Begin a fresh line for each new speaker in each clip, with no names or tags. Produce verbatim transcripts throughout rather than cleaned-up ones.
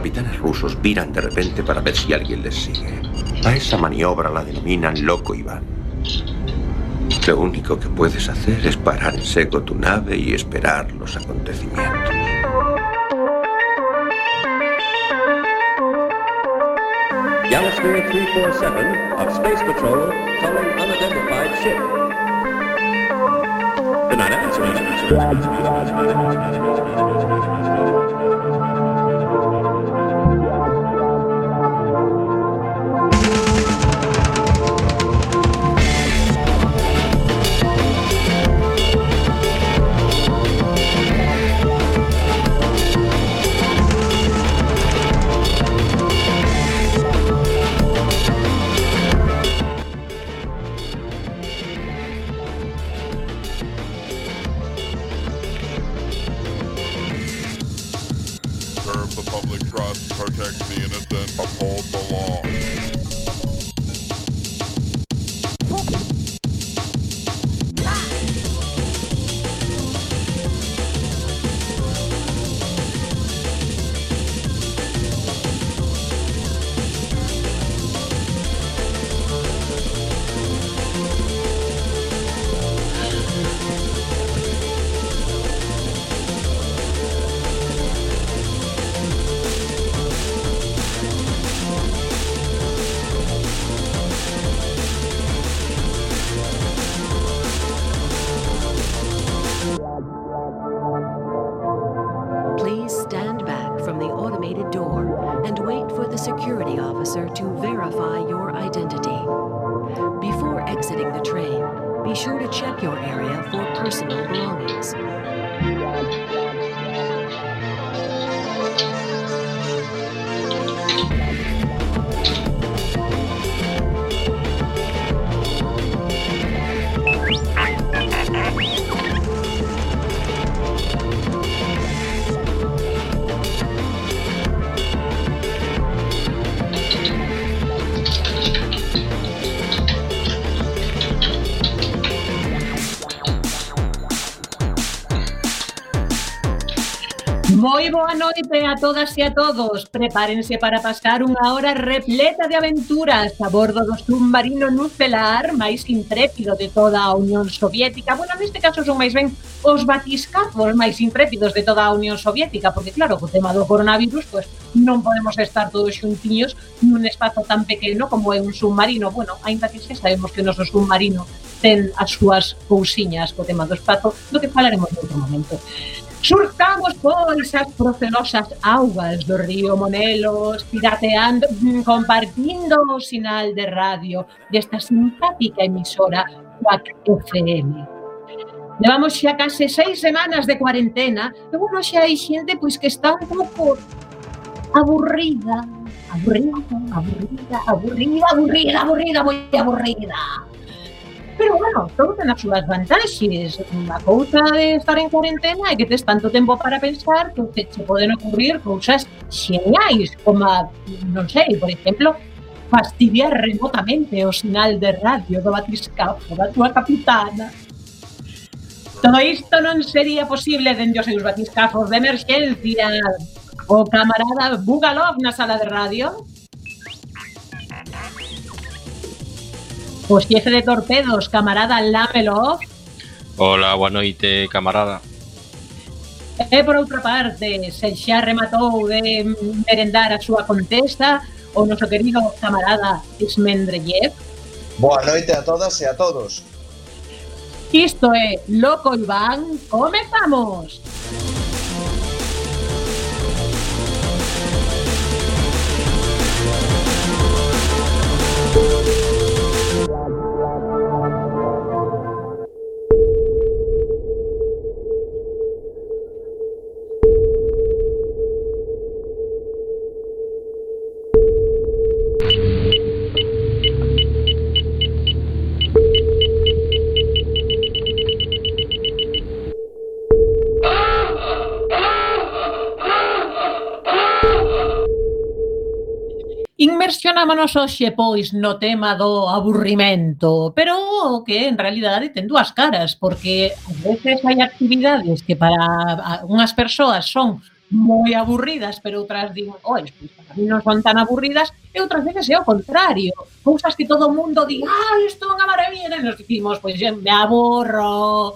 capitanes rusos viran de repente para ver si alguien les sigue. A esa maniobra la denominan Loco Iván. Lo único que puedes hacer es parar en seco tu nave y esperar los acontecimientos.
Galasphere three forty-seven of Space Patrol calling unidentified ship. Good night,
Please stand back from the automated door and wait for the security officer to verify your identity. Before exiting the train, be sure to check your area for personal belongings.
Moi boa noite a todas e a todos. Prepárense para pasar unha hora repleta de aventuras a bordo do submarino nucelar máis intrépido de toda a Unión Soviética. Bueno, neste caso son máis ben os batiscafos máis intrépidos de toda a Unión Soviética, porque claro, co tema do coronavirus, pues non podemos estar todos xuntiños nun espazo tan pequeno como é un submarino. Bueno, aínda que xa sabemos que o noso submarino ten as súas cousiñas co tema do espazo, do que falaremos en outro momento. Surcamos pois as procelosas augas do río Monelos, pirateando, compartindo o sinal de radio desta simpática emisora Quack F M. Levamos xa case seis semanas de cuarentena e, bueno, xa hai xente pois que está un pouco aburrida, aburrida, aburrida, aburrida, aburrida, aburrida, moi aburrida. Pero, bueno, todo ten as súas vantaxes. A cousa de estar en cuarentena é que tes tanto tempo para pensar que te che poden ocurrir cousas xeñais, como, non sei, por exemplo, fastidiar remotamente o sinal de radio do batiscafo da túa capitana. Todo isto non sería posible dende os seus batiscafos de emerxencia. O camarada Bugalov na sala de radio. O xefe de torpedos, camarada Lamelov.
Hola, boa noite, camarada.
E por outra parte, se xa rematou de merendar a súa contesta o noso querido camarada Ismendreyev.
Boa noite a todas e a todos.
Isto é Loco Iván, comezamos! Inmersionámonos hoxe, pois, no tema do aburrimento, pero que en realidade ten dúas caras, porque a veces hai actividades que para unhas persoas son moi aburridas, pero outras digo, oi, pois para mí non son tan aburridas, e outras veces é o contrario. Cousas que todo o mundo di, ah, isto é unha maravilla, e nos dicimos, pois me aburro.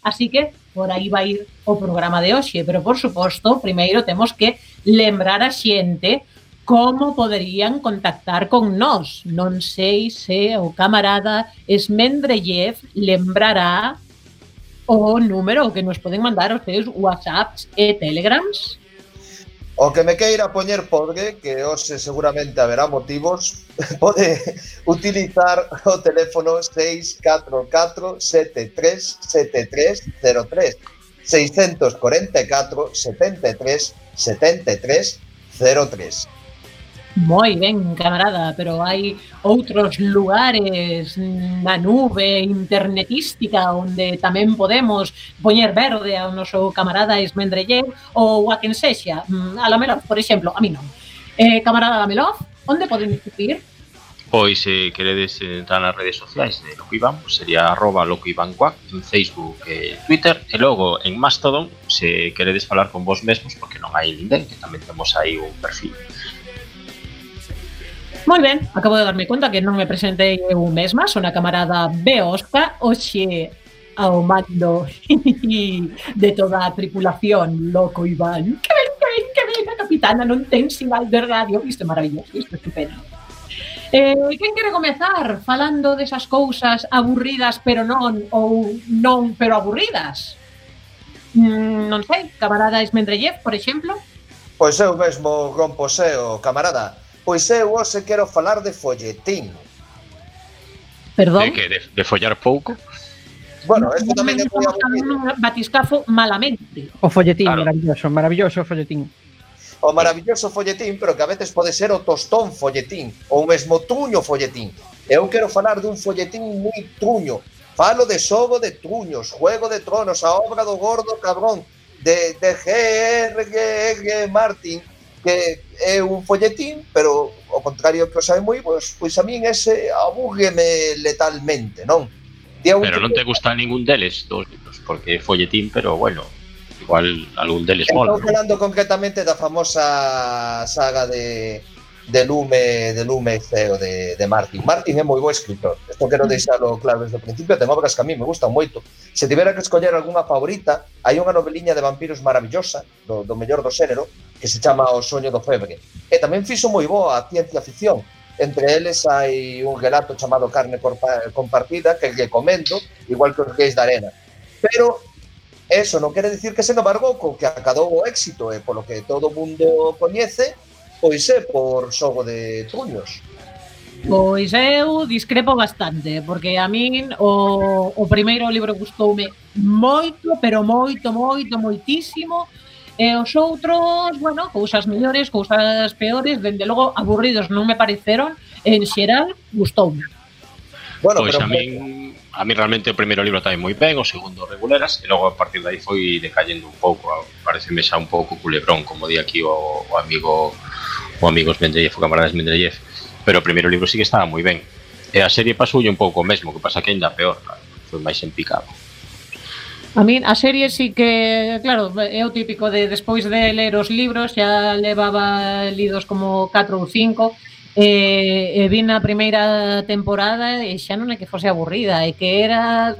Así que por aí vai ir o programa de hoxe, pero por suposto, primeiro temos que lembrar a xente como poderían contactar con nós. Non sei se o camarada Esmendrellev lembrará o número que nos poden mandar os seus WhatsApps e Telegrams.
O que me queira poñer podre, que hoxe seguramente haberá motivos, pode utilizar o teléfono seis catro catro sete tres sete tres cero tres seis cuatro cuatro sete tres sete tres cero tres.
Moi ben, camarada, pero hai outros lugares na nube internetística onde tamén podemos poñer verde ao noso camarada Esmendrellev ou a quen sexa, a Lamelov, por exemplo, a mí non. Eh, camarada Lamelov, onde poden escribir?
Pois se queredes entrar nas redes sociais de Loco Iván, pues sería arroba Loco Iván Cuac en Facebook e Twitter, e logo en Mastodon, se queredes falar con vos mesmos, porque non hai ninguén, que tamén temos aí un perfil.
Moi ben, acabo de darme conta que non me presentei eu mesma, son a camarada Beosca, hoxe ao mando de toda a tripulación, Loco Iván. Que ben, que ben, que ben, a capitana non ten sinal de radio, isto é maravilloso, isto é estupendo. Eh, quen quere comezar falando desas cousas aburridas pero non, ou non pero aburridas? Mm, non sei, camarada Esmendrellev, por exemplo?
Pois eu mesmo rompo seo, camarada. Pois eu hoxe quero falar de folletín.
Perdón?
De que? De, de follar pouco?
Bueno, esto tamén é moi
aburrido. Batiscafo malamente.
O folletín,
Claro.
maravilloso, maravilloso o folletín.
O maravilloso folletín, pero que a veces pode ser o tostón folletín, ou mesmo truño folletín. Eu quero falar dun folletín moi truño. Falo de Xogo de Truños, Juego de Tronos, a obra do gordo cabrón de, de G R G Martin, que é un folletín, pero ao contrario que o sabe moi, pois, pois a min ese abúrgueme letalmente, non?
Pero non te gusta ningún deles dos libros, porque é folletín, pero bueno, igual algún deles mola.
Estou falando concretamente da famosa saga de de Lume, de Lume Ceo de, de Martin. Martin é moi bo escritor. Isto quero deixalo claro desde o principio, ten obras que a mí me gustan moito. Se tivera que escoller algunha favorita, hai unha noveliña de vampiros maravillosa, do, do mellor do xénero, que se chama O soño do febre. E tamén fixo moi boa a ciencia ficción. Entre eles hai un relato chamado Carne compartida, que lle comendo, igual que os Reis da Arena. Pero eso non quere dicir que se no bargoco que acadou o éxito e polo que todo o mundo coñece, pois é por Xogo de Truños.
Pois eu discrepo bastante, porque a min o, o primeiro libro gustoume moito, pero moito, moito, moitísimo, e os outros, bueno, cousas mellores, cousas peores, dende logo aburridos non me pareceron, en xeral gustoume.
Bueno,
pois
pero
a min, a min realmente o primeiro libro tamén moi ben, o segundo reguleras, e logo a partir de aí foi decayendo un pouco, pareceme xa un pouco culebrón, como di aquí o, o amigo o amigo Esmendrellev, o camarada Esmendrellev, pero o primeiro libro sí que estaba moi ben. E a serie pasoulle un pouco o mesmo, que pasa que ainda peor, claro, foi máis empicado.
A min a serie sí que, claro, é o típico de despois de ler os libros, xa levaba lidos como catro ou cinco, e, e vin a primeira temporada e xa non é que fose aburrida, é que era,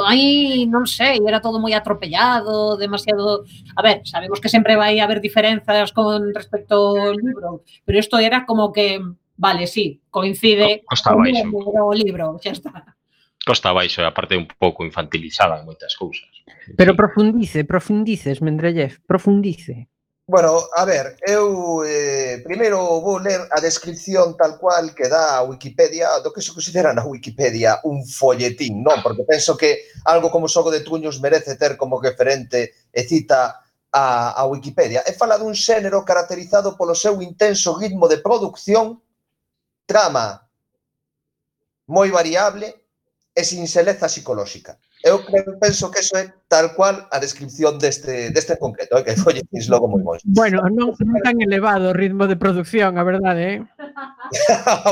ai, non sei, era todo moi atropellado, demasiado... A ver, sabemos que sempre vai haber diferenzas con respecto ao libro, pero isto era como que, vale, sí, coincide
Costa
con
baixo.
o libro, xa está.
Costa baixo, a parte un pouco infantilizada en moitas cousas.
Pero
Sí.
profundice, profundice, Esmendrellev, profundice.
Bueno, a ver, eu eh, primeiro vou ler a descripción tal cual que dá a Wikipedia do que se considera na Wikipedia un folletín, non? Porque penso que algo como Xogo de Truños merece ter como referente e cita a, a Wikipedia. E fala dun xénero caracterizado polo seu intenso ritmo de producción, trama moi variable e sin seleza psicolóxica. eu creo, penso que eso é tal cual a descripción deste, deste en concreto, eh, que folletins logo moi bons.
Bueno, non, non tan elevado o ritmo de producción, a verdade, eh?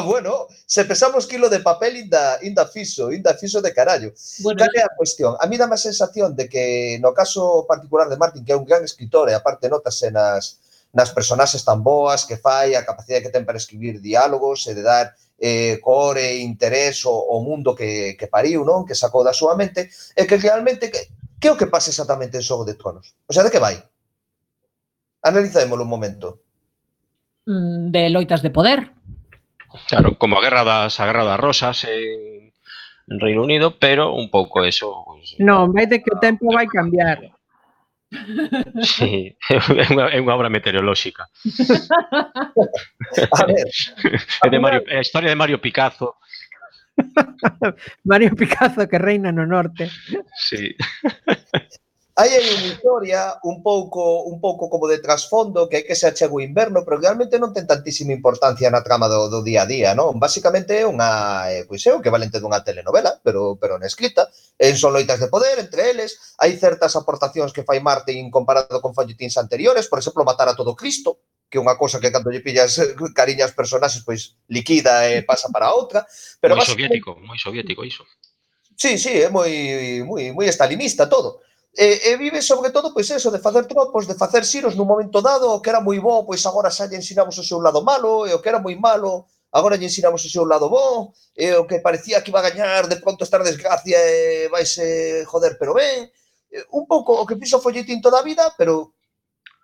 Bueno, se pesamos quilo de papel inda, inda fiso, inda fiso de carallo.
Bueno,
Cal é a cuestión? A mí dá a sensación de que no caso particular de Martin, que é un gran escritor e aparte notase nas, nas personaxes tan boas que fai, a capacidade que ten para escribir diálogos e de dar eh, core, interés ao, ao mundo que, que pariu, non? Que sacou da súa mente, e que realmente, que, que é o que pasa exactamente en Xogo de Tronos? O sea, de que vai? Analizémolo un momento.
de loitas de poder.
Claro, como a guerra das, a guerra das rosas en, en Reino Unido, pero un pouco eso... Pues,
Non, vai de que o tempo vai cambiar.
sí, é unha, é unha obra meteorolóxica.
A ver,
É de Mario, é a historia de Mario Picasso.
Mario Picasso que reina no norte.
Sí.
aí hai unha historia un pouco un pouco como de trasfondo que é que se achega o inverno, pero realmente non ten tantísima importancia na trama do, do día a día, non? Basicamente é unha, eh, pois é o que valente dunha telenovela, pero pero na escrita, en son loitas de poder entre eles, hai certas aportacións que fai Martin comparado con folletíns anteriores, por exemplo, matar a todo Cristo, que é unha cosa que cando lle pillas cariño aos personaxes, pois liquida e pasa para outra, pero
Moi
basicamente-
soviético, moi soviético iso.
Sí, sí, é moi moi moi estalinista todo. E, e vive sobre todo pois eso, de facer tropos, de facer xiros nun momento dado, o que era moi bo, pois agora xa lle ensinamos o seu lado malo, e o que era moi malo, agora lle ensinamos o seu lado bo, e o que parecía que iba a gañar, de pronto estar desgracia e vaise joder, pero ben. E, un pouco o que fixo Folletín toda a vida, pero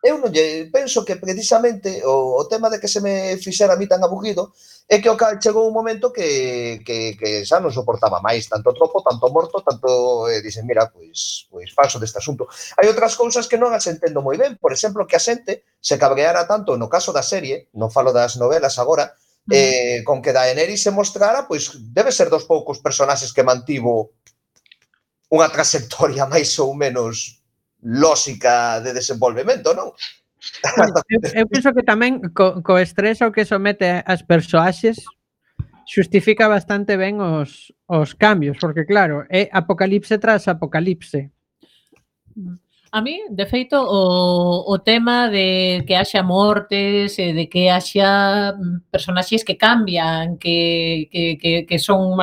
eu non lle penso que precisamente o, o tema de que se me fixera a mí tan aburrido é que o cal chegou un momento que, que, que xa non soportaba máis tanto tropo, tanto morto, tanto eh, dicen, mira, pois, pois paso deste asunto. Hai outras cousas que non as entendo moi ben, por exemplo, que a xente se cabreara tanto no caso da serie, non falo das novelas agora, eh, con que Daenerys se mostrara, pois debe ser dos poucos personaxes que mantivo unha trayectoria máis ou menos lóxica de desenvolvemento, non?
Eu, eu penso que tamén co, co estrés ao que somete as persoaxes xustifica bastante ben os, os cambios, porque claro, é apocalipse tras apocalipse.
A mí, de feito, o, o tema de que haxa mortes e de que haxa personaxes que cambian, que, que, que, que son,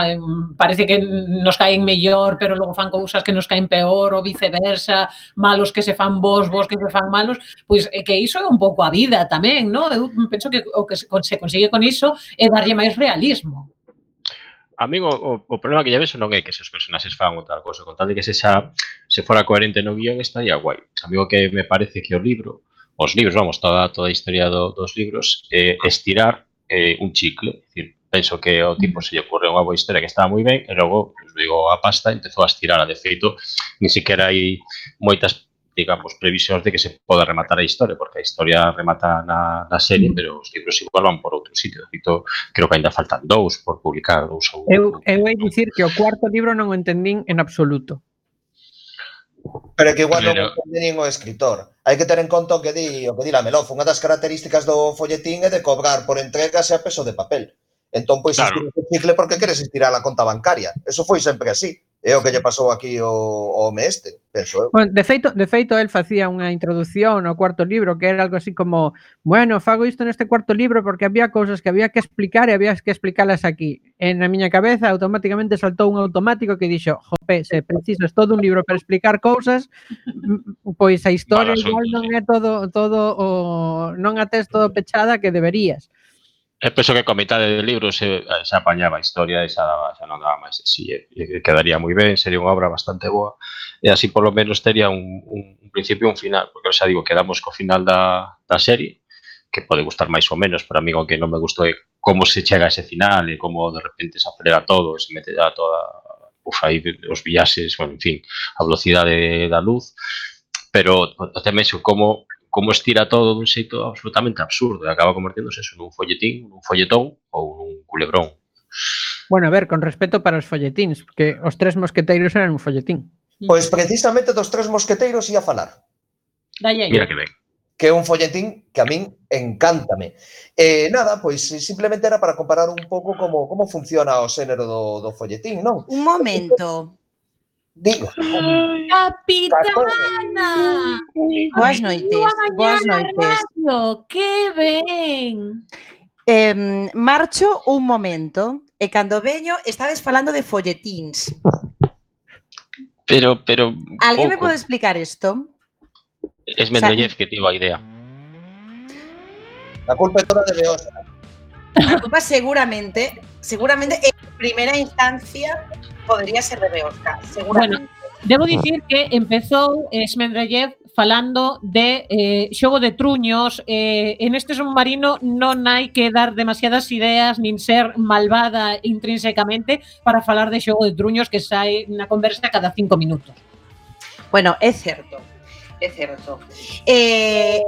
parece que nos caen mellor, pero logo fan cousas que nos caen peor, ou viceversa, malos que se fan bons, bons que se fan malos, pois é que iso é un pouco a vida tamén, non? Eu penso que o que se consigue con iso é darlle máis realismo.
A min o, o, o problema que lle vexo non é que se os personaxes fan ou tal cosa, con tal de que se xa se fora coherente no guión estaría guai. A mí o que me parece que o libro, os libros, vamos, toda toda a historia do, dos libros, é eh, estirar eh, un chicle. É dicir, penso que ao tipo se lle ocurre unha boa historia que estaba moi ben e logo, pues, digo, a pasta empezou a estirar. De feito, ni siquiera hai moitas, digamos, previsións de que se poda rematar a historia, porque a historia remata na, na serie, pero os libros igual van por outro sitio. De feito, creo que ainda faltan dous por publicar, dous ou...
Eu, eu hei dicir que o cuarto libro non o entendín en absoluto.
Pero que igual non
Pero-
entende nin o escritor. Hai que ter en conta o que di, o que di la Melof. Unha das características do folletín é de cobrar por entregas e a peso de papel. Entón, pois,
Claro.
estiras o chicle porque queres estirar a conta bancaria. Eso foi sempre así. É o que lle pasou aquí ao, ao home este, penso eu.
Bueno, de feito, de feito, el facía unha introdución ao cuarto libro que era algo así como, bueno, fago isto neste cuarto libro porque había cousas que había que explicar e había que explicalas aquí. En a miña cabeza automáticamente saltou un automático que dixo, jope, se precisas todo un libro para explicar cousas, pois a historia
Vale,
igual
asunto,
non
sí.
é todo todo o non a tes todo pechada que deberías.
Eu penso que coa mitade do libro se, se apañaba a historia e xa, daba, xa non daba máis de si, e, e quedaría moi ben, sería unha obra bastante boa, e así polo menos tería un, un, un principio e un final, porque xa digo, quedamos co final da, da serie, que pode gustar máis ou menos, pero a mí o que non me gustou é como se chega a ese final e como de repente se acelera todo, se mete a toda, uf, aí os viaxes, bueno, en fin, a velocidade da luz, pero tamén xo como como estira todo dun xeito absolutamente absurdo e acaba converténdose eso nun folletín, nun folletón ou nun culebrón.
Bueno, a ver, con respeto para os folletíns, porque os tres mosqueteiros eran un folletín.
Pois precisamente dos tres mosqueteiros ia falar.
Dalle aí.
Mira que ben.
Que é un folletín que a min encántame. E nada, pois simplemente era para comparar un pouco como como funciona o xénero do, do folletín, non?
Un momento.
Digo.
Capitana!
Boas noites, boas noites.
Radio, que ben!
Eh, marcho un momento e cando veño estades falando de folletíns.
Pero, pero...
Alguén me
pouco.
pode explicar isto?
Es Mendeleev que tivo a idea.
A culpa é toda de Beosa.
A culpa seguramente, seguramente en primeira instancia podría ser de Beosca, seguramente.
Bueno, debo dicir que empezou Esmendrellev falando de eh, xogo de truños. Eh, en este submarino non hai que dar demasiadas ideas nin ser malvada intrínsecamente para falar de xogo de truños que sai na conversa cada cinco minutos.
Bueno, é certo. É certo. Eh,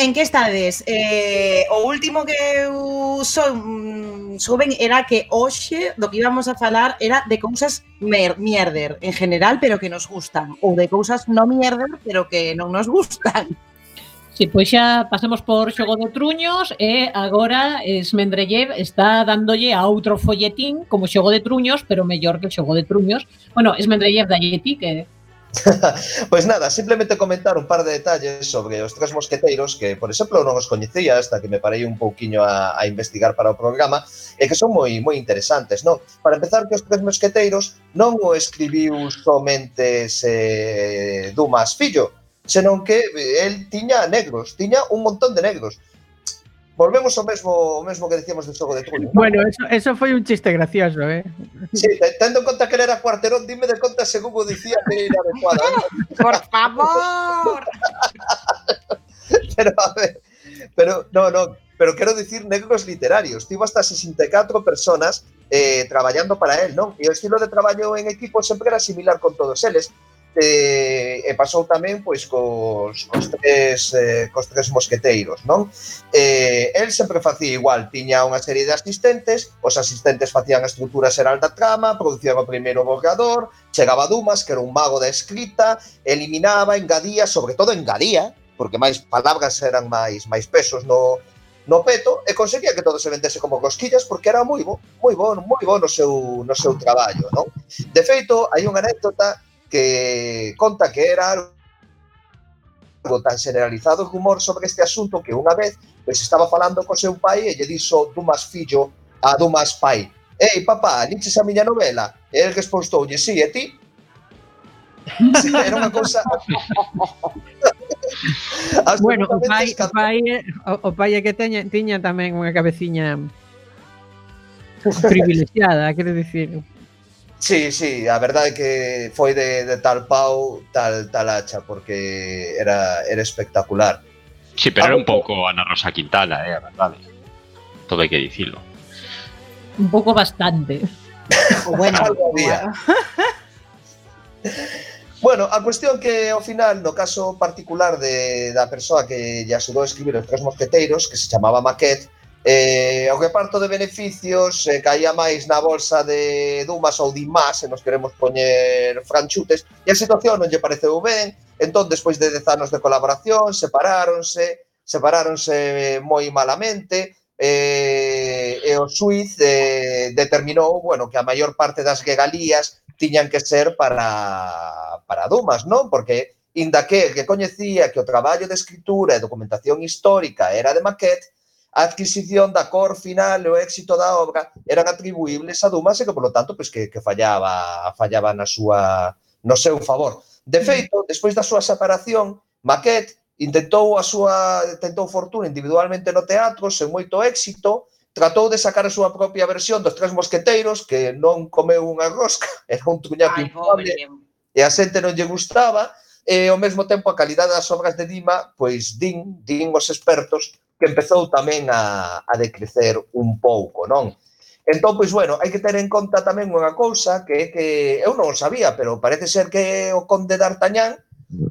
en que estades? Eh, o último que eu son, souben era que hoxe do que íbamos a falar era de cousas mer, mierder en general, pero que nos gustan, ou de cousas no mierder, pero que non nos gustan.
Si, pois xa pasemos por xogo de truños e agora Esmendrellev está dándolle a outro folletín como xogo de truños, pero mellor que xogo de truños. Bueno, Esmendrellev dalle ti que...
Pois nada, simplemente comentar un par de detalles sobre os Tres Mosqueteiros que, por exemplo, non os coñecía hasta que me parei un pouquiño a, a investigar para o programa e que son moi moi interesantes, non? Para empezar, que os Tres Mosqueteiros non o escribiu somente se Dumas fillo, senón que el tiña negros, tiña un montón de negros. Volvemos ao mesmo, o mesmo que decíamos do xogo de truños.
Bueno, eso, eso foi un chiste gracioso, eh?
Sí, tendo en conta que era Cuarterón, dime de conta según o dicía que era adecuada.
Por favor.
Pero, a ver, pero, no, no, pero quero dicir negros literarios. Tivo hasta sesenta e catro personas eh, traballando para él, non? E o estilo de traballo en equipo sempre era similar con todos eles. E, e pasou tamén pois cos, cos, tres, eh, cos tres mosqueteiros, non? Eh, el sempre facía igual, tiña unha serie de asistentes, os asistentes facían a estrutura xeral da trama, producían o primeiro borrador, chegaba Dumas, que era un mago da escrita, eliminaba, engadía, sobre todo engadía, porque máis palabras eran máis máis pesos no, no peto, e conseguía que todo se vendese como cosquillas, porque era moi bo, moi bo, moi bo no seu, no seu traballo, non? De feito, hai unha anécdota que conta que era algo tan generalizado o rumor sobre este asunto que unha vez pues, estaba falando co seu pai e lle dixo Dumas fillo a Dumas pai: «Ei, papá, liches a miña novela?» E el respostoulle: «Sí, e ti?» Sí, era unha cousa...
Bueno, o pai, o pai, o, o pai é que teña, tiña tamén unha cabeciña privilexiada, quero dicir...
Sí, sí, a verdade é que foi de, de tal pau, tal, tal hacha, porque era, era espectacular.
Sí, pero era un pouco Ana Rosa Quintana, eh, a verdade. Todo hai que dicilo.
Un pouco bastante.
Bueno,
bueno. Bueno, a cuestión que ao final, no caso particular de, da persoa que lle axudou a escribir os Tres Mosqueteiros, que se chamaba Maquet, Eh, o reparto de beneficios eh, caía máis na bolsa de Dumas ou Dimas, se nos queremos poñer franchutes, e a situación non lle pareceu ben. Entón, despois de dez anos de colaboración, separáronse, separáronse moi malamente, eh, e o xuiz eh, determinou, bueno, que a maior parte das regalías tiñan que ser para, para Dumas, non? Porque, inda que que coñecía que o traballo de escritura e documentación histórica era de Maquet, a adquisición da cor final e o éxito da obra eran atribuíbles a Dumas e que, polo tanto, pues, que, que fallaba, fallaba na súa, no seu favor. De feito, despois da súa separación, Maquet intentou a súa tentou fortuna individualmente no teatro, sen moito éxito, tratou de sacar a súa propia versión dos Tres Mosqueteiros, que non comeu unha rosca, era un truñaco infame, e a xente non lle gustaba, e ao mesmo tempo a calidade das obras de Dima, pois din, din os expertos, que empezou tamén a, a decrecer un pouco, non? Entón, pois, bueno, hai que ter en conta tamén unha cousa que, que eu non o sabía, pero parece ser que o conde d'Artagnan,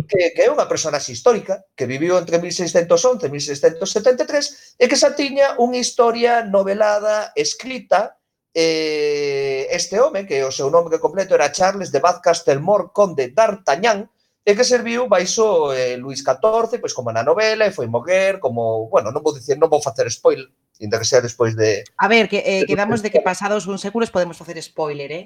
que, que é unha personaxe histórica, que viviu entre mil seiscentos once e mil seiscentos setenta e tres, e que xa tiña unha historia novelada, escrita, eh, este home, que o seu nome completo era Charles de Bath Castelmore, conde d'Artagnan, e que serviu baixo eh, Luís catorce, pois como na novela, e foi morrer, como, bueno, non vou dicir, non vou facer spoiler, inda que sea despois de...
A ver, que eh, quedamos de que pasados uns séculos podemos facer spoiler, eh?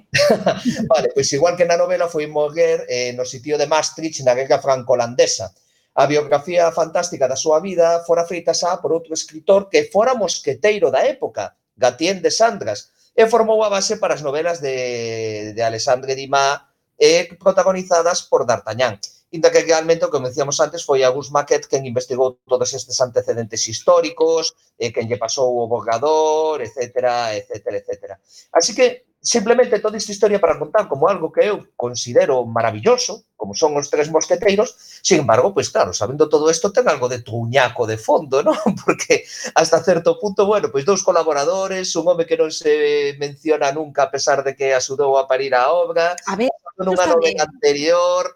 Vale, pois igual que na novela foi morrer eh, no sitio de Maastricht na guerra franco-holandesa. A biografía fantástica da súa vida fora feita xa por outro escritor que fora mosqueteiro da época, Gatien de Sandras, e formou a base para as novelas de, de Alexandre Dumas e protagonizadas por D'Artagnan. Inda que realmente, como decíamos antes, foi Auguste Maquet quen investigou todos estes antecedentes históricos, eh, quen lle pasou o borrador, etcétera, etcétera, etcétera. Así que, simplemente, toda esta historia para contar como algo que eu considero maravilloso, como son os tres mosqueteiros, sin embargo, pues claro, sabendo todo isto, ten algo de truñaco de fondo, ¿no? Porque hasta certo punto, bueno, pues dous colaboradores, un home que non se menciona nunca a pesar de que axudou a parir a obra,
A ver,
nunha novela anterior...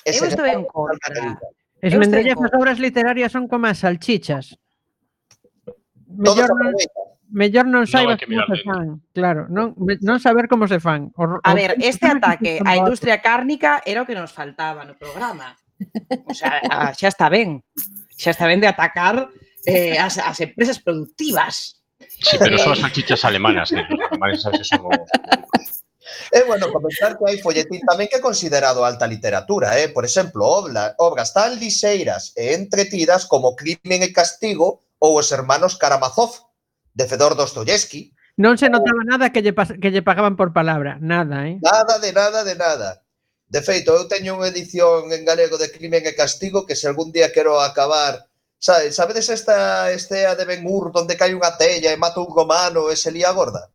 Eu estou en contra.
Esmendrellez, as obras literarias son como as salchichas.
Todos
Mellor non, mellor non saibas
que
como
mirar
se
ben.
fan. Claro, non, non saber como se fan. O,
A
o-
ver, este ataque á industria cárnica era o que nos faltaba no programa. O sea, a- xa está ben. Xa está ben de atacar eh, as, as empresas productivas.
Sí, pero son as salchichas alemanas, que os alemanes sabes que son o-
É bueno comentar que hai folletín tamén que é considerado alta literatura, eh? Por exemplo, obra, obras tan liseiras e entretidas como Crimen e Castigo ou Os Hermanos Karamazov, de Fedor Dostoyevsky.
Non se notaba nada que lle, pas, que lle pagaban por palabra. Nada, eh?
Nada de nada de nada. De feito, eu teño unha edición en galego de Crimen e Castigo que se algún día quero acabar... Sabe, sabedes esta estea de Ben-Hur onde cae unha tella e mata un romano e se lía gorda?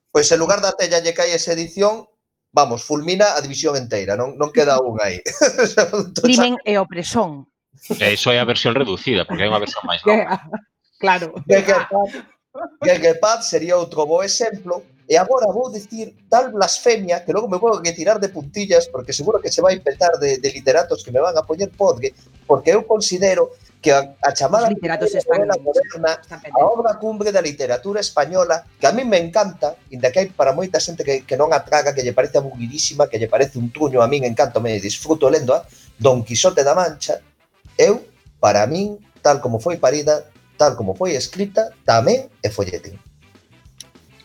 Pois en lugar da tella lle cae esa edición, vamos, fulmina a división inteira, non, non queda un aí.
Crimen e opresón.
E iso é a versión reducida, porque hai unha versión máis longa.
Claro.
Gegepad sería outro bo exemplo. E agora vou dicir tal blasfemia que logo me vou retirar de puntillas porque seguro que se vai petar de, de literatos que me van a poñer podre, porque eu considero que a, a chamada
Os literatos están,
novela moderna,
están
a obra cumbre da literatura española, que a mí me encanta, inda que hai para moita xente que, que non a traga, que lle parece aburridísima, que lle parece un truño, a min encanto, me disfruto lendo a Don Quixote da Mancha, eu, para min, tal como foi parida, tal como foi escrita, tamén é folletín.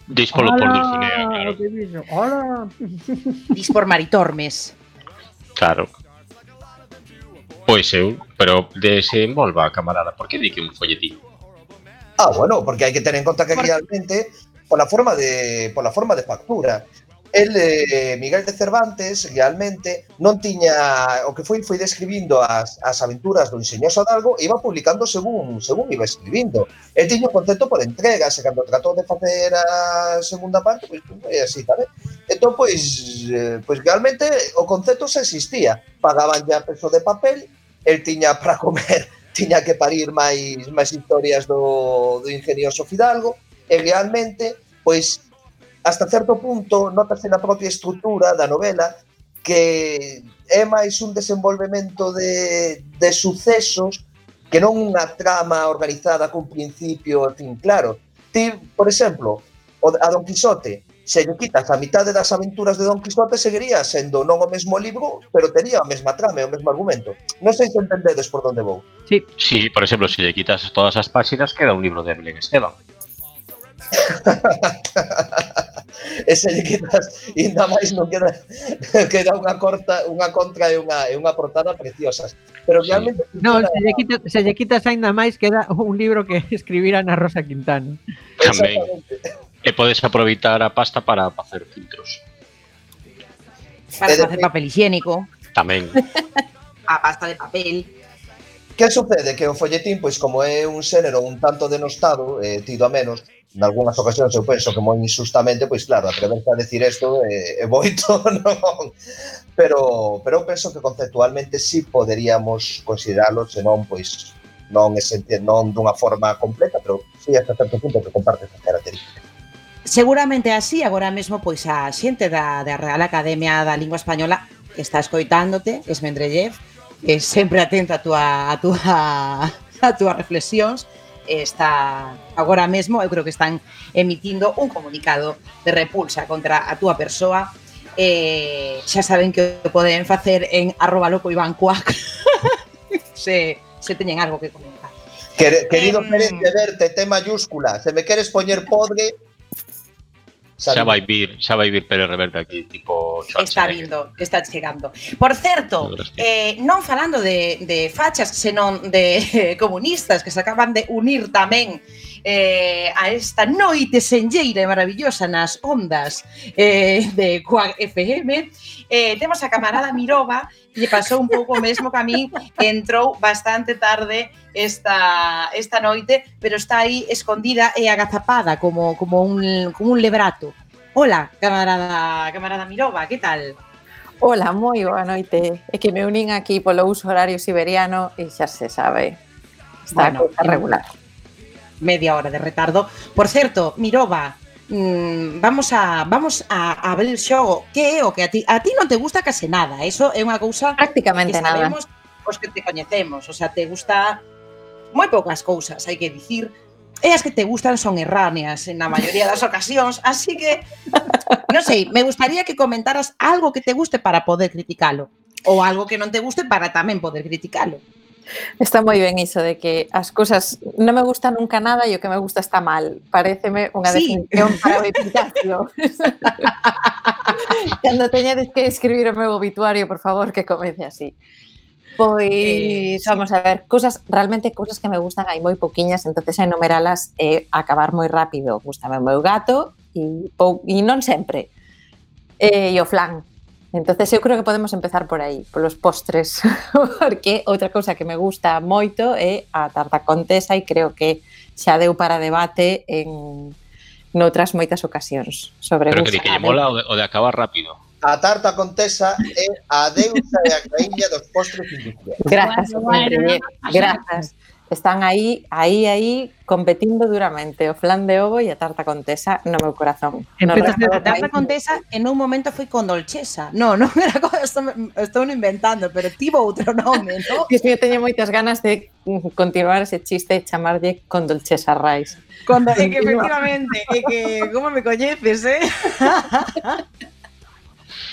Dis polo por Dulcinea, claro.
Que dixo? Hola.
Dis por Maritormes.
Claro. Pois eu, pero desenvolva, camarada, por que di que un folletín?
Ah, bueno, porque hai que ter en conta que realmente pola forma de pola forma de factura. El, eh, Miguel de Cervantes, realmente non tiña o que foi foi describindo as, as aventuras do Ingenioso Hidalgo e iba publicando según según iba escribindo. El tiña un concepto por entregas e cando tratou de facer a segunda parte, pois foi así tamén. Entón, pois, eh, pois realmente o concepto xa existía. Pagaban ya peso de papel, el tiña para comer, tiña que parir máis máis historias do, do Ingenioso Fidalgo e realmente, pois, hasta certo punto, notase na propia estrutura da novela que é máis un desenvolvemento de, de sucesos que non unha trama organizada cun principio, en fin, claro. Ti, por exemplo, a Don Quixote, se lle quitas a mitade das aventuras de Don Quixote, seguiría sendo non o mesmo libro, pero tería a mesma trama e o mesmo argumento. Non sei se entendedes por onde vou.
Sí.
Sí, por exemplo, se lle quitas todas as páxinas, queda un libro de Belén Esteban.
E se lle quitas ainda máis non queda queda unha corta, unha contra e unha e unha portada preciosas. Pero realmente
sí. No, se lle quitas, se lle quitas aínda máis queda un libro que escribira na Rosa Quintana.
Tamén. E podes aproveitar a pasta para facer filtros.
Para facer papel higiénico.
Tamén.
A pasta de papel.
Que sucede? Que o folletín, pois como é un xénero un tanto denostado, eh, tido a menos, nalgúnas ocasións eu penso que moi injustamente, pois claro, atreverse a decir isto é, é moito, non? Pero, pero eu penso que conceptualmente sí poderíamos considerarlo, senón, pois, non, ese, non dunha forma completa, pero sí hasta certo punto que comparte esa característica.
Seguramente así, agora mesmo, pois a xente da, da Real Academia da Lingua Española que está escoitándote, Esmendrellez, que sempre atenta a túa, a túa, a túas reflexións, está agora mesmo, eu creo que están emitindo un comunicado de repulsa contra a túa persoa. Eh, xa saben que o poden facer en arroba loco Iván Cuac se, se teñen algo que comentar.
Quer, querido
Em,
Pérez de Verte, T mayúscula. Se me queres poñer podre...
Xa
Saludos.
vai vir, xa vai vir Pérez Reverte aquí, tipo
Está
Schwarzenegger.
vindo, está chegando. Por certo, eh, non falando de, de fachas, senón de comunistas que se acaban de unir tamén eh, a esta noite senlleira e maravillosa nas ondas eh, de Quack F M, eh, temos a camarada Mirova que lle pasou un pouco o mesmo que a mí, entrou bastante tarde esta, esta noite, pero está aí escondida e agazapada como, como, un, como un lebrato. Hola, camarada, camarada Mirova, que tal?
Hola, moi boa noite. É que me unín aquí polo uso horario siberiano e xa se sabe. Está
Bueno,
bueno, regular.
Media hora de retardo. Por certo, Mirova, mmm, vamos a vamos a, a ver el xogo. Que é o que a ti a ti non te gusta case nada? Eso é unha cousa
Prácticamente
que
nada.
sabemos os que te coñecemos. O sea, te gusta moi poucas cousas, hai que dicir. E as que te gustan son erráneas en a maioría das ocasións, así que non sei, me gustaría que comentaras algo que te guste para poder criticalo ou algo que non te guste para tamén poder criticalo.
Está moi ben iso de que as cousas non me gusta nunca nada e o que me gusta está mal. Paréceme unha
Sí.
definición para o epitafio. Cando teñades que escribir o meu obituario, por favor, que comece así. Pois,
Eh, sí.
vamos a ver, cousas, realmente cousas que me gustan hai moi poquiñas, entonces enumeralas é acabar moi rápido. Gústame o meu gato e, pou, e non sempre. E, e o flan. Entonces eu creo que podemos empezar por aí, polos postres, porque outra cousa que me gusta moito é a tarta contesa e creo que xa deu para debate en noutras moitas ocasións sobre
Pero que di
gusto.
que lle mola o de, o de acabar rápido.
A tarta contesa é a deusa e a raíña dos postres industriais.
Grazas,
Bueno, bueno,
grazas. Están aí, aí, aí, competindo duramente o flan de ovo e a tarta contesa no meu corazón. No
Empezas
resto
A
do
tarta
país,
contesa en un momento foi con dolchesa. No, non era co- estou, estou inventando, pero tivo outro nome, ¿no?
que eu teño moitas ganas de mm, continuar ese chiste e chamarlle con dolchesa rice.
Cuando, é que efectivamente, é que como me coñeces, eh?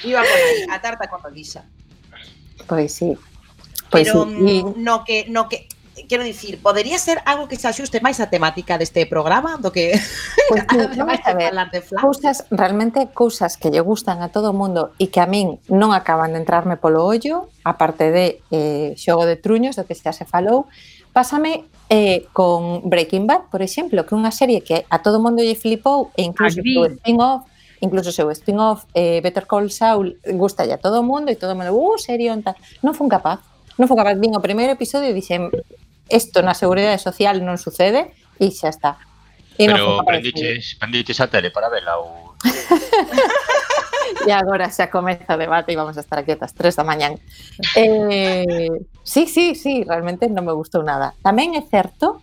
Iba por aí, a tarta con dolisa.
Pois sí. Pois
Pero
sí.
mm, no que no que quero dicir, podería ser algo que se axuste máis á temática deste programa do que
Pois sí, vamos
ademais
a
de
ver.
falar de flan.
Cousas, realmente cousas que lle gustan a todo o mundo e que a min non acaban de entrarme polo ollo, aparte de eh, Xogo de Truños, do que xa se falou, pásame eh, con Breaking Bad, por exemplo, que é unha serie que a todo o mundo lle flipou e incluso o seu
Agree.
spin-off, incluso o seu spin-off eh, Better Call Saul gusta a todo o mundo e todo o mundo, uh, serión, tal. Non fun capaz, non fun capaz, vin o primeiro episodio e dixen, isto na Seguridade Social non sucede e xa está. E non fun
Pero
capaz de seguir.
prendiches, prendiches a tele para vela ou...
E agora xa comeza o debate e vamos a estar aquí ata as tres da mañán. Eh, sí, sí, sí, realmente non me gustou nada. Tamén é certo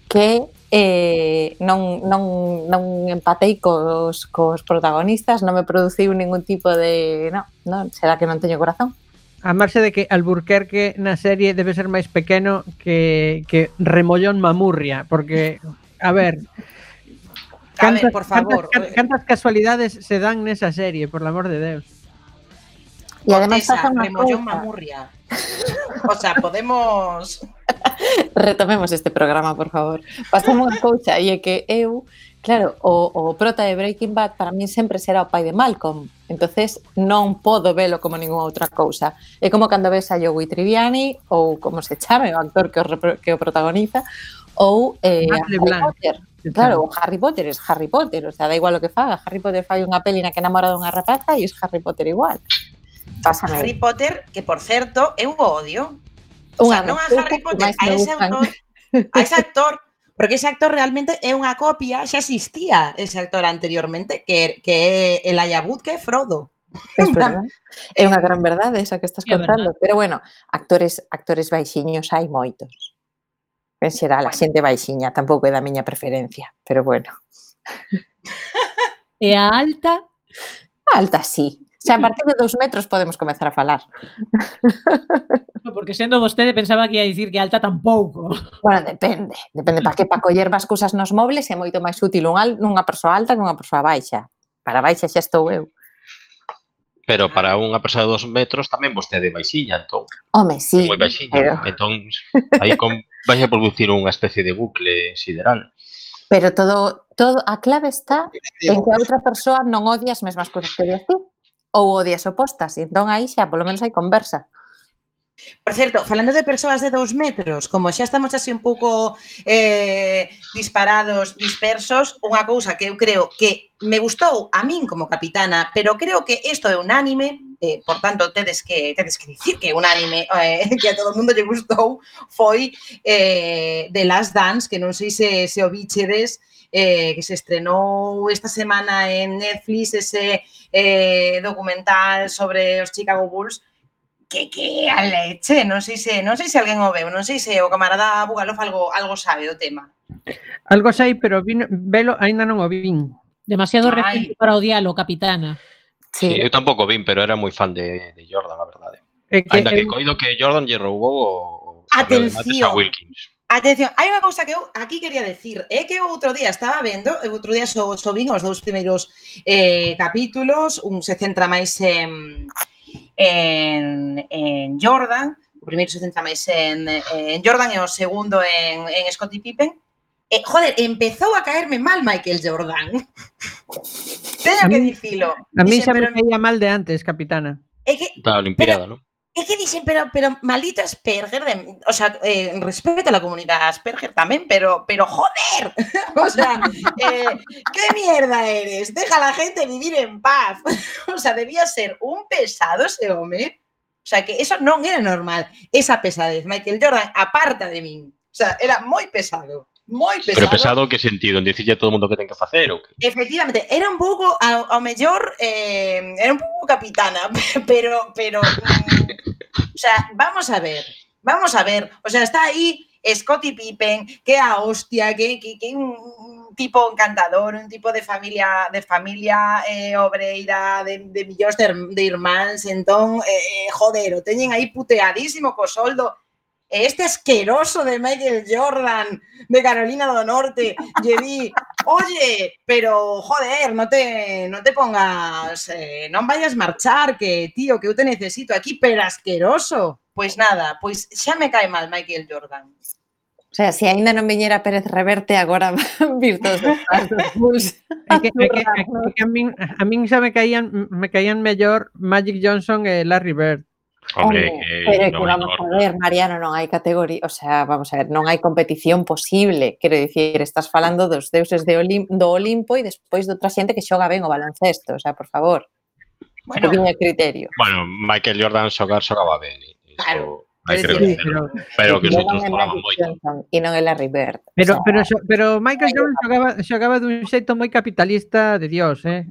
que eh, non, non, non empatei cos, cos protagonistas, non me produciu ningún tipo de... No, non, será que non teño corazón?
A marxe de que Alburquerque na serie debe ser máis pequeno que, que Remollón Mamurria, porque, a ver,
A ver, por favor.
cantas, cantas casualidades se dan nesa serie, por el amor de Deus.
E ademais
Contesa,
pasa unha
Remollón
cousa.
Mamurria. O sea, podemos...
Retomemos este programa, por favor. Pasamos unha cousa e é que eu, claro, o, o prota de Breaking Bad para min sempre será o pai de Malcolm. Entonces non podo velo como ninguna outra cousa. É como cando ves a Joey Tribbiani ou como se chame o actor que o, repro- que o protagoniza ou eh,
Matt
a Harry
LeBlanc.
Potter. Claro, o Harry Potter es Harry Potter, o sea, da igual o que faga. Harry Potter fai unha peli na que enamora dunha rapaza e es Harry Potter igual. Pásame.
Harry Potter, que por certo, eu o odio. O sea,
Unha
non a
das
Harry
cousas que
Potter,
máis
a
me
ese
gustan.
autor, a ese actor, porque ese actor realmente é unha copia, xa existía ese actor anteriormente, que, que é el Ayabut, que é Frodo.
Es verdad. É unha gran verdade esa que estás
É
contando, pero bueno, actores actores baixiños hai moitos. En xeral, a xente baixiña tampouco é da miña preferencia, pero bueno,
E a alta,
alta sí. Xa a partir de dous metros podemos comezar a falar.
porque sendo vostede pensaba que ia dicir que alta tampouco.
Bueno, depende, depende para que para coller vas cousas nos mobles é moito máis útil un al, unha persoa alta que unha persoa baixa. Para baixa xa estou eu.
pero para unha persoa de dos metros tamén vostede baixiña, entón.
Home, sí.
Moi baixiña.
Pero,
Entón, aí con, vai a producir unha especie de bucle sideral.
pero todo, todo, a clave está en que a outra persoa non odia as mesmas cousas que odias ti ou odias opostas, e entón aí xa polo menos hai conversa.
Por certo, falando de persoas de dous metros, como xa estamos así un pouco eh, disparados, dispersos, unha cousa que eu creo que me gustou a min como capitana, pero creo que isto é unánime, eh, por tanto, tedes que tedes que dicir que é unánime, eh, que a todo o mundo lle gustou, foi eh, The Last Dance, que non sei se, se o bichedes, eh, que se estrenou esta semana en Netflix, ese eh, documental sobre os Chicago Bulls, que que a leche, non sei se non sei se alguén o veu, non sei se o camarada Bugalov algo algo sabe do tema.
Algo sei, pero vino, velo aínda non o vin.
Demasiado
Ai.
recente para odialo, capitana.
Sí,
Sí.
eu tampouco vin, pero era moi fan de, de Jordan, a verdade.
É que,
Ainda que
eu-
coido que Jordan lle roubou o, o
Atención.
a Wilkins.
Atención, hai unha cousa que eu aquí quería decir, é que o outro día estaba vendo, o outro día so, so vin os dous primeiros eh, capítulos, un se centra máis en en, en Jordan, o primeiro se centra máis en, en Jordan e o segundo en, en Scottie Pippen. Eh, joder, empezou a caerme mal Michael Jordan. Teño
A
que
mí-
dicilo.
a mí
Dixen,
xa me
pero
caía mal de antes, capitana.
é que
Da Olimpiada, non?
É que dixen, pero, pero maldito Asperger, de, o sea, eh, respeto a la comunidad Asperger tamén, pero, pero joder, o sea, eh, ¿qué mierda eres? Deja a la gente vivir en paz. O sea, debía ser un pesado ese home. O sea, que eso non era normal, esa pesadez. Michael Jordan, aparta de min. O sea, era moi pesado, moi pesado.
Pero pesado que sentido? En dicirlle a todo o mundo que ten que facer ou que?
Efectivamente, era un pouco, ao, ao mellor, eh, era un pouco capitana, pero, pero, mm, o sea, vamos a ver, vamos a ver, o sea, está aí Scottie Pippen, que a hostia, que, que, que un tipo encantador, un tipo de familia de familia eh, obreira, de, de millóns de, de irmáns, entón, eh, joder, o teñen aí puteadísimo co soldo. E este asqueroso de Michael Jordan de Carolina do Norte lle di, oye, pero joder, no te, no te pongas, eh, non vayas marchar, que tío, que eu te necesito aquí, pero asqueroso. Pois nada, pois xa me cae mal Michael Jordan.
O sea, se aínda non viñera Pérez Reverte, agora van vir todos os fans dos Bulls.
É que, é que, é que, é que a min, a min xa me caían me caían mellor Magic Johnson e Larry Bird.
Hombre,
Home,
que
pero é que
non é
vamos a
normal.
ver, Mariano, non hai categoría, o sea, vamos a ver, non hai competición posible, quero dicir, estás falando dos deuses de Olim, do Olimpo e despois de outra xente que xoga ben o baloncesto, o sea, por favor, un
Bueno,
poquinho de criterio.
Bueno, Michael Jordan xogar xogaba ben. Iso
Claro.
hai que
Quero
Sí,
dicir,
recoñecelo.
pero,
Pero que os
Jordan
outros
é
xogaban
Magic
moito.
Johnson e non é Larry Bird.
pero,
o sea,
pero, xo- pero Michael Jordan xogaba, xogaba dun xeito moi capitalista de Dios, eh?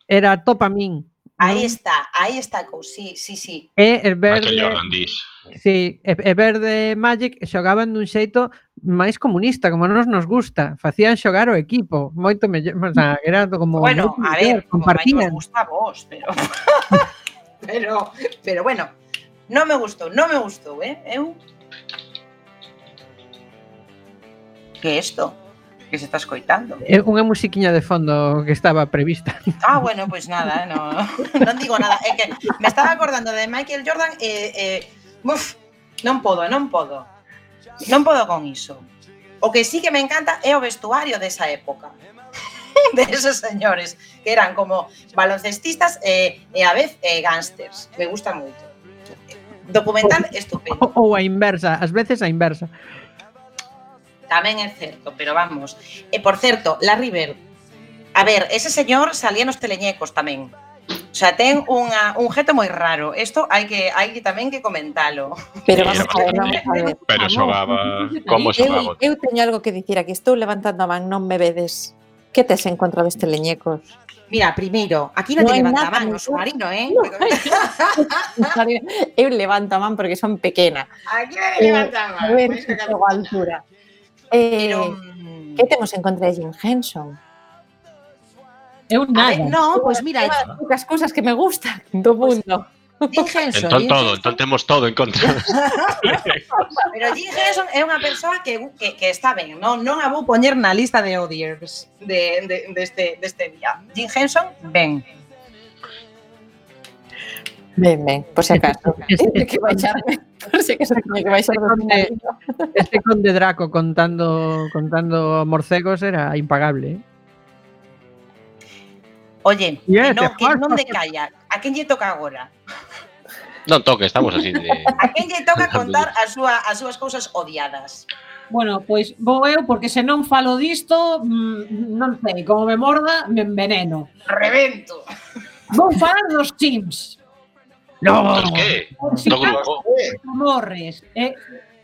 Era top a min.
aí
non?
está, aí está, co- sí, sí, sí.
E el
Michael
verde,
Jordan, dis.
sí, e, e verde Magic xogaban dun xeito máis comunista, como nos nos gusta. Facían xogar o equipo, moito mellor, o sea, era como
Bueno,
moito
a
mellor,
ver, como máis
compartían.
nos gusta a vos, pero pero pero bueno, non me gustou, non me gustou, eh? Eu Que é isto? Que se está escoitando?
É unha musiquiña de fondo que estaba prevista.
Ah, bueno, pois pues nada, no, non digo nada. É que me estaba acordando de Michael Jordan e, eh, eh, uf, non podo, non podo. Non podo con iso. O que sí que me encanta é o vestuario desa época. De esos señores que eran como baloncestistas e, e a vez eh, gángsters. Me gusta moito. Documental estupendo.
Ou a inversa, ás veces a inversa.
Tamén é certo, pero vamos. E por certo, Larry Bird. A ver, ese señor salía nos teleñecos tamén. O sea, ten unha, un gesto moi raro. Isto hai que hai que tamén que comentalo.
Pero
Sí,
vamos a ver, vamos a ver.
Pero xogaba... Como
Eu,
xogaba?
eu teño algo que dicir aquí, estou levantando a man, non me vedes. Que tes en contra dos teleñecos?
Mira, primeiro, aquí non
No
te
hai
levanta
nada
man no
mellor.
submarino, eh?
No Eu levanto a man porque son pequena.
Aquí non te
Eh,
levanta man.
a ver,
Pois que
xogo a altura. Eh,
Pero... mm,
que temos en contra de Jim Henson?
Eu
A
nada.
ver, no, pois pues mira,
É unha das poucas cousas que me gustan do mundo.
Jim Henson,
Entón
Jim
todo,
Henson-
entón temos todo en contra.
pero Jim Henson é unha persoa que, que, que está ben, non, non a vou poñer na lista de odiers de, de, deste, deste día. Jim Henson, ben.
Ben, ben, por si acaso.
Este,
Tiene que baixarme, por si acaso tiene que baixar do
conde,
final.
este conde Draco contando contando morcegos era impagable, eh?
Oye,
Yeah,
que non,
te
que
falta.
non decalla. A quen lle toca agora?
Non toque, estamos así de...
A quen lle toca contar as, súa, as súas cousas odiadas?
Bueno, pois vou eu, porque se non falo disto, mm, non sei, como me morda, me enveneno.
Revento.
Vou falar dos Sims.
Dos que?
Si
Do grupo.
morres. Eh,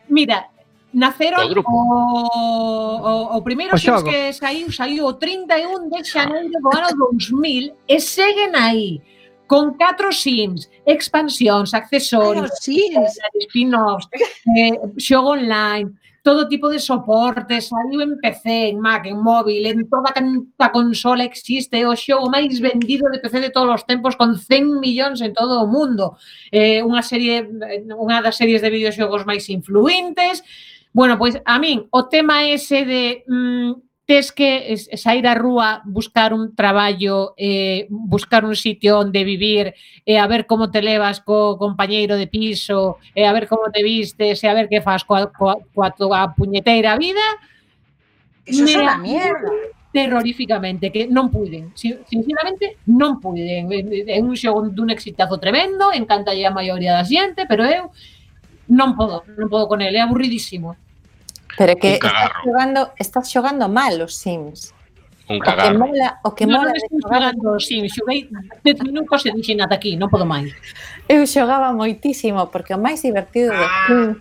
mira, naceron
Do grupo.
o, o, o primeiro
O
Sims
xogo.
que saiu, saiu o trinta e un de xaneiro do ano dous mil e seguen aí con catro Sims, expansións, accesorios,
Sims.
spin-offs, eh, xogo online, todo tipo de soportes, saiu en P C, en Mac, en móvil, en toda canta consola existe, o xogo máis vendido de P C de todos os tempos con cen millóns en todo o mundo. Eh, unha serie, unha das series de videoxogos máis influentes. Bueno, pois a min o tema ese de mm, tes que sair á rúa, buscar un traballo, eh, buscar un sitio onde vivir, e a ver como te levas co compañeiro de piso, e a ver como te vistes, e a ver que fas coa, coa, coa tua puñeteira vida,
Eso é
me
unha mierda.
terroríficamente, que non puiden, sinceramente non puiden. É un xogo dun exitazo tremendo, encantalle a maioría da xente, pero eu non podo, non podo con ele, é aburridísimo.
Pero que
Un
estás
cagarro.
xogando, estás xogando mal os Sims.
Un
O que
cagarro.
mola, o que
non,
mola
non
de
estou
xogar.
xogando Sims, xoguei dez minutos e dixen ata aquí, non podo máis.
Eu xogaba moitísimo porque o máis divertido dos Sims,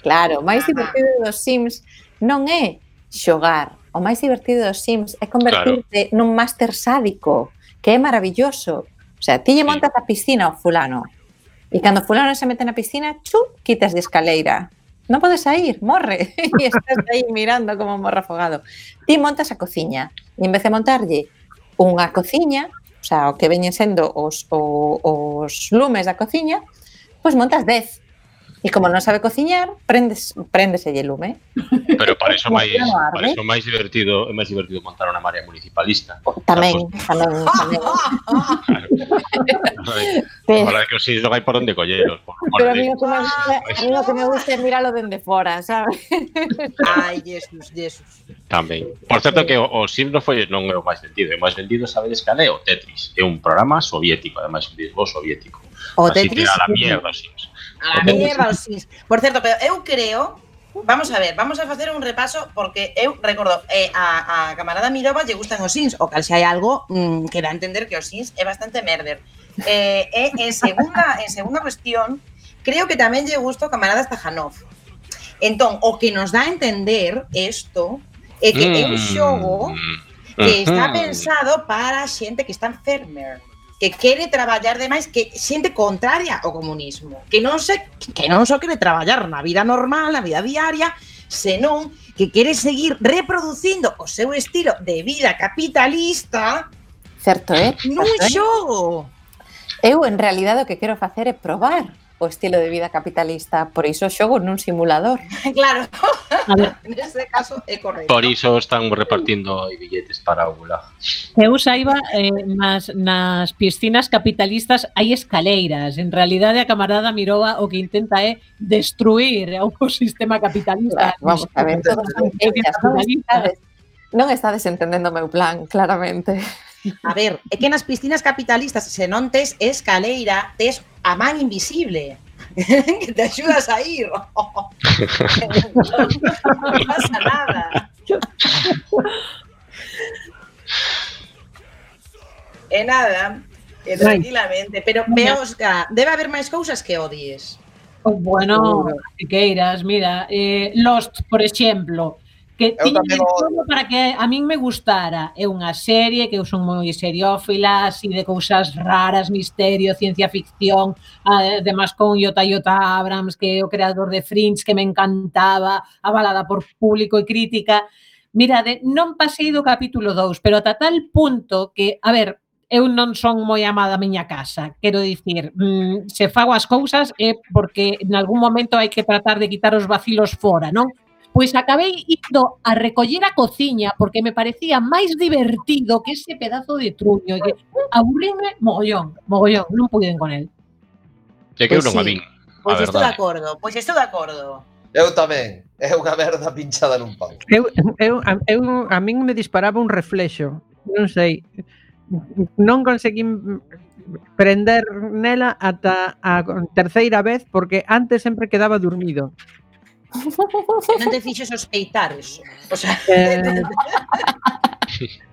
claro, o máis divertido dos Sims non é xogar. O máis divertido dos Sims é convertirte claro. nun máster sádico, que é maravilloso. O sea, ti lle montas a piscina ao fulano e cando o fulano se mete na piscina, chu, quitas de escaleira. Non podes sair, morre. E estás aí mirando como morre afogado. Ti montas a cociña e en vez de montarlle unha cociña, o sea, o que veñen sendo os, o, os lumes da cociña, pois montas dez. E como non sabe cociñar, prendes, prendeselle lume.
Pero para iso máis,
Como arde.
para iso máis divertido, é máis divertido montar unha marea municipalista.
Tamén,
Pues,
tamén, tamén.
A verdade é que os Sims non hai por onde colleros. Por, por
Pero a mí
de-
o que me gusta, a mí o que me gusta é miralo dende fora, sabes?
Ai, Jesus, Jesus.
Tamén. Por certo que o, o Sims non foi non é o máis vendido, o máis vendido sabedes cal é o Tetris, é un programa soviético, ademais un disco soviético.
O
Así
Tetris,
que a la mierda os Sims.
A la mierda os Sims. Por certo, pero eu creo, vamos a ver, vamos a facer un repaso porque eu recordo, eh, a, a camarada Mirova lle gustan os Sims, o cal se hai algo mm, que dá a entender que os Sims é bastante merder. Eh, e en segunda, en segunda cuestión, creo que tamén lle gusta o camarada Stajanov. Entón, o que nos dá a entender isto é que é un xogo que está pensado para xente que está enfermer, que quere traballar demais, que xente contraria ao comunismo, que non se que non só quere traballar na vida normal, na vida diaria, senón que quere seguir reproducindo o seu estilo de vida capitalista
Certo, eh?
nun
Certo, eh?
xogo.
Eu, en realidade, o que quero facer é probar o estilo de vida capitalista, por iso xogo nun simulador.
Claro,
A ver,
nese caso é correcto.
Por iso están repartindo billetes para o gulag.
eu saiba, eh, nas, nas piscinas capitalistas hai escaleiras. En realidade, a camarada Mirova o que intenta é destruir o sistema capitalista.
Claro, vamos a ver, todos son fechas, non estades, non estades entendendo o meu plan, claramente.
A ver, é que nas piscinas capitalistas, se non tes escaleira, tes a man invisible que te axudas a ir. Non pasa nada. E nada, e tranquilamente. Pero, Beosca, debe haber máis cousas que odies.
Oh, bueno, que queiras, mira, eh, Lost, por exemplo, que
Eu
tiña
tamén
de
o
todo para que a min me gustara. É unha serie que eu son moi seriófila, así de cousas raras, misterio, ciencia ficción, además con J J Abrams, que é o creador de Fringe, que me encantaba, avalada por público e crítica. Mirade, non pasei do capítulo dous, pero ata tal punto que, a ver, eu non son moi amada a miña casa. Quero dicir, mmm, se fago as cousas é porque en algún momento hai que tratar de quitar os vacilos fora, non? Pois acabei indo a recoller a cociña porque me parecía máis divertido que ese pedazo de truño. Que aburríme mogollón, mogollón, non puiden con el.
É que eu
Pois
non a
sí.
vin, a
Pois estou de
verdade.
acordo, pois estou de acordo.
Eu tamén. É unha merda pinchada nun pau.
Eu, eu, a, eu, a min me disparaba un reflexo. Non sei. Non conseguín prender nela ata a terceira vez porque antes sempre quedaba dormido.
Non te fixo sospeitar eso. O sea,
Eh,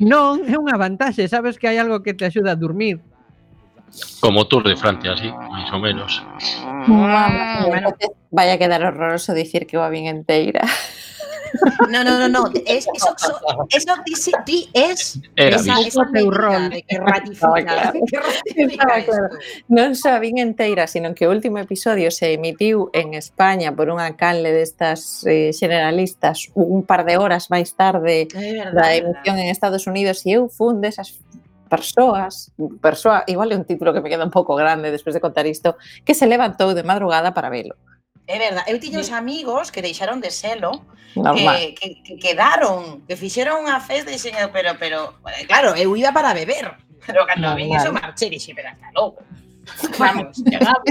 non, é unha vantaxe, sabes que hai algo que te axuda a dormir.
Como Tour de Francia, así, máis ou menos.
Mamma mía, entonces vaya a quedar horroroso dicir que va bien enteira.
no, no, no, no. Es, eso, eso, eso ti, ti es
Era
esa,
visto.
esa
Teu
medida
rol.
de que ratifica, de que ratifica
Estaba claro.
esto.
Non só a vin enteira, sino que o último episodio se emitiu en España por unha canle destas eh, generalistas un par de horas máis tarde
É
da
verdade.
emisión en Estados Unidos e eu fun desas persoas, persoa, igual é un título que me queda un pouco grande despois de contar isto, que se levantou de madrugada para velo.
É verdade. Eu tiña uns amigos que deixaron de selo,
Normal.
que, que, que quedaron, que fixeron unha festa e dixeron, pero, pero, eh, claro, eu iba para beber. Pero cando vi
Normal.
eso marché, dixe, pero hasta loco. Vamos, chegamos.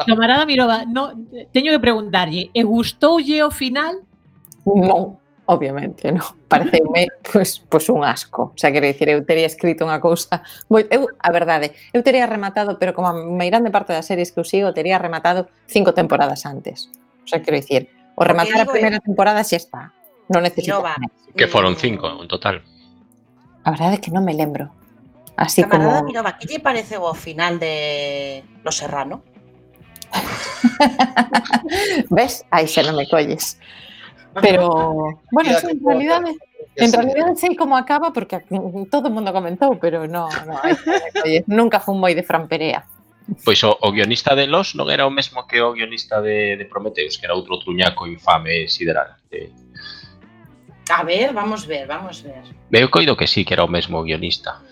Camarada Mirova, no, teño que preguntarlle, e gustoulle o final?
Non, obviamente, non. Pareceume, pois, pois un asco. O sea, quero dicir, eu teria escrito unha cousa... Moi, eu, a verdade, eu teria rematado, pero como a meirande parte das series que eu sigo, teria rematado cinco temporadas antes. O sea, quero dicir, o rematar a
digo
primeira temporada xa está. Non necesito
Mirova,
máis.
Que foron cinco, en total.
A verdade é que non me lembro. Así
Camarada
como...
Mirova, que lle pareceu o final de Los Serrano?
Ves? Aí xa non me colles. Pero, bueno,
Mira
sí,
que
en realidade,
que
en
sí.
realidade sei como acaba porque todo o mundo comentou, pero no, no, aí xa non me colles. Nunca fun moi de Fran Perea.
Pois o, o guionista de Los non era o mesmo que o guionista de, de Prometheus, que era outro truñaco infame sideral. Eh,
A ver, vamos ver, vamos ver.
eu coido que sí, que era o mesmo guionista.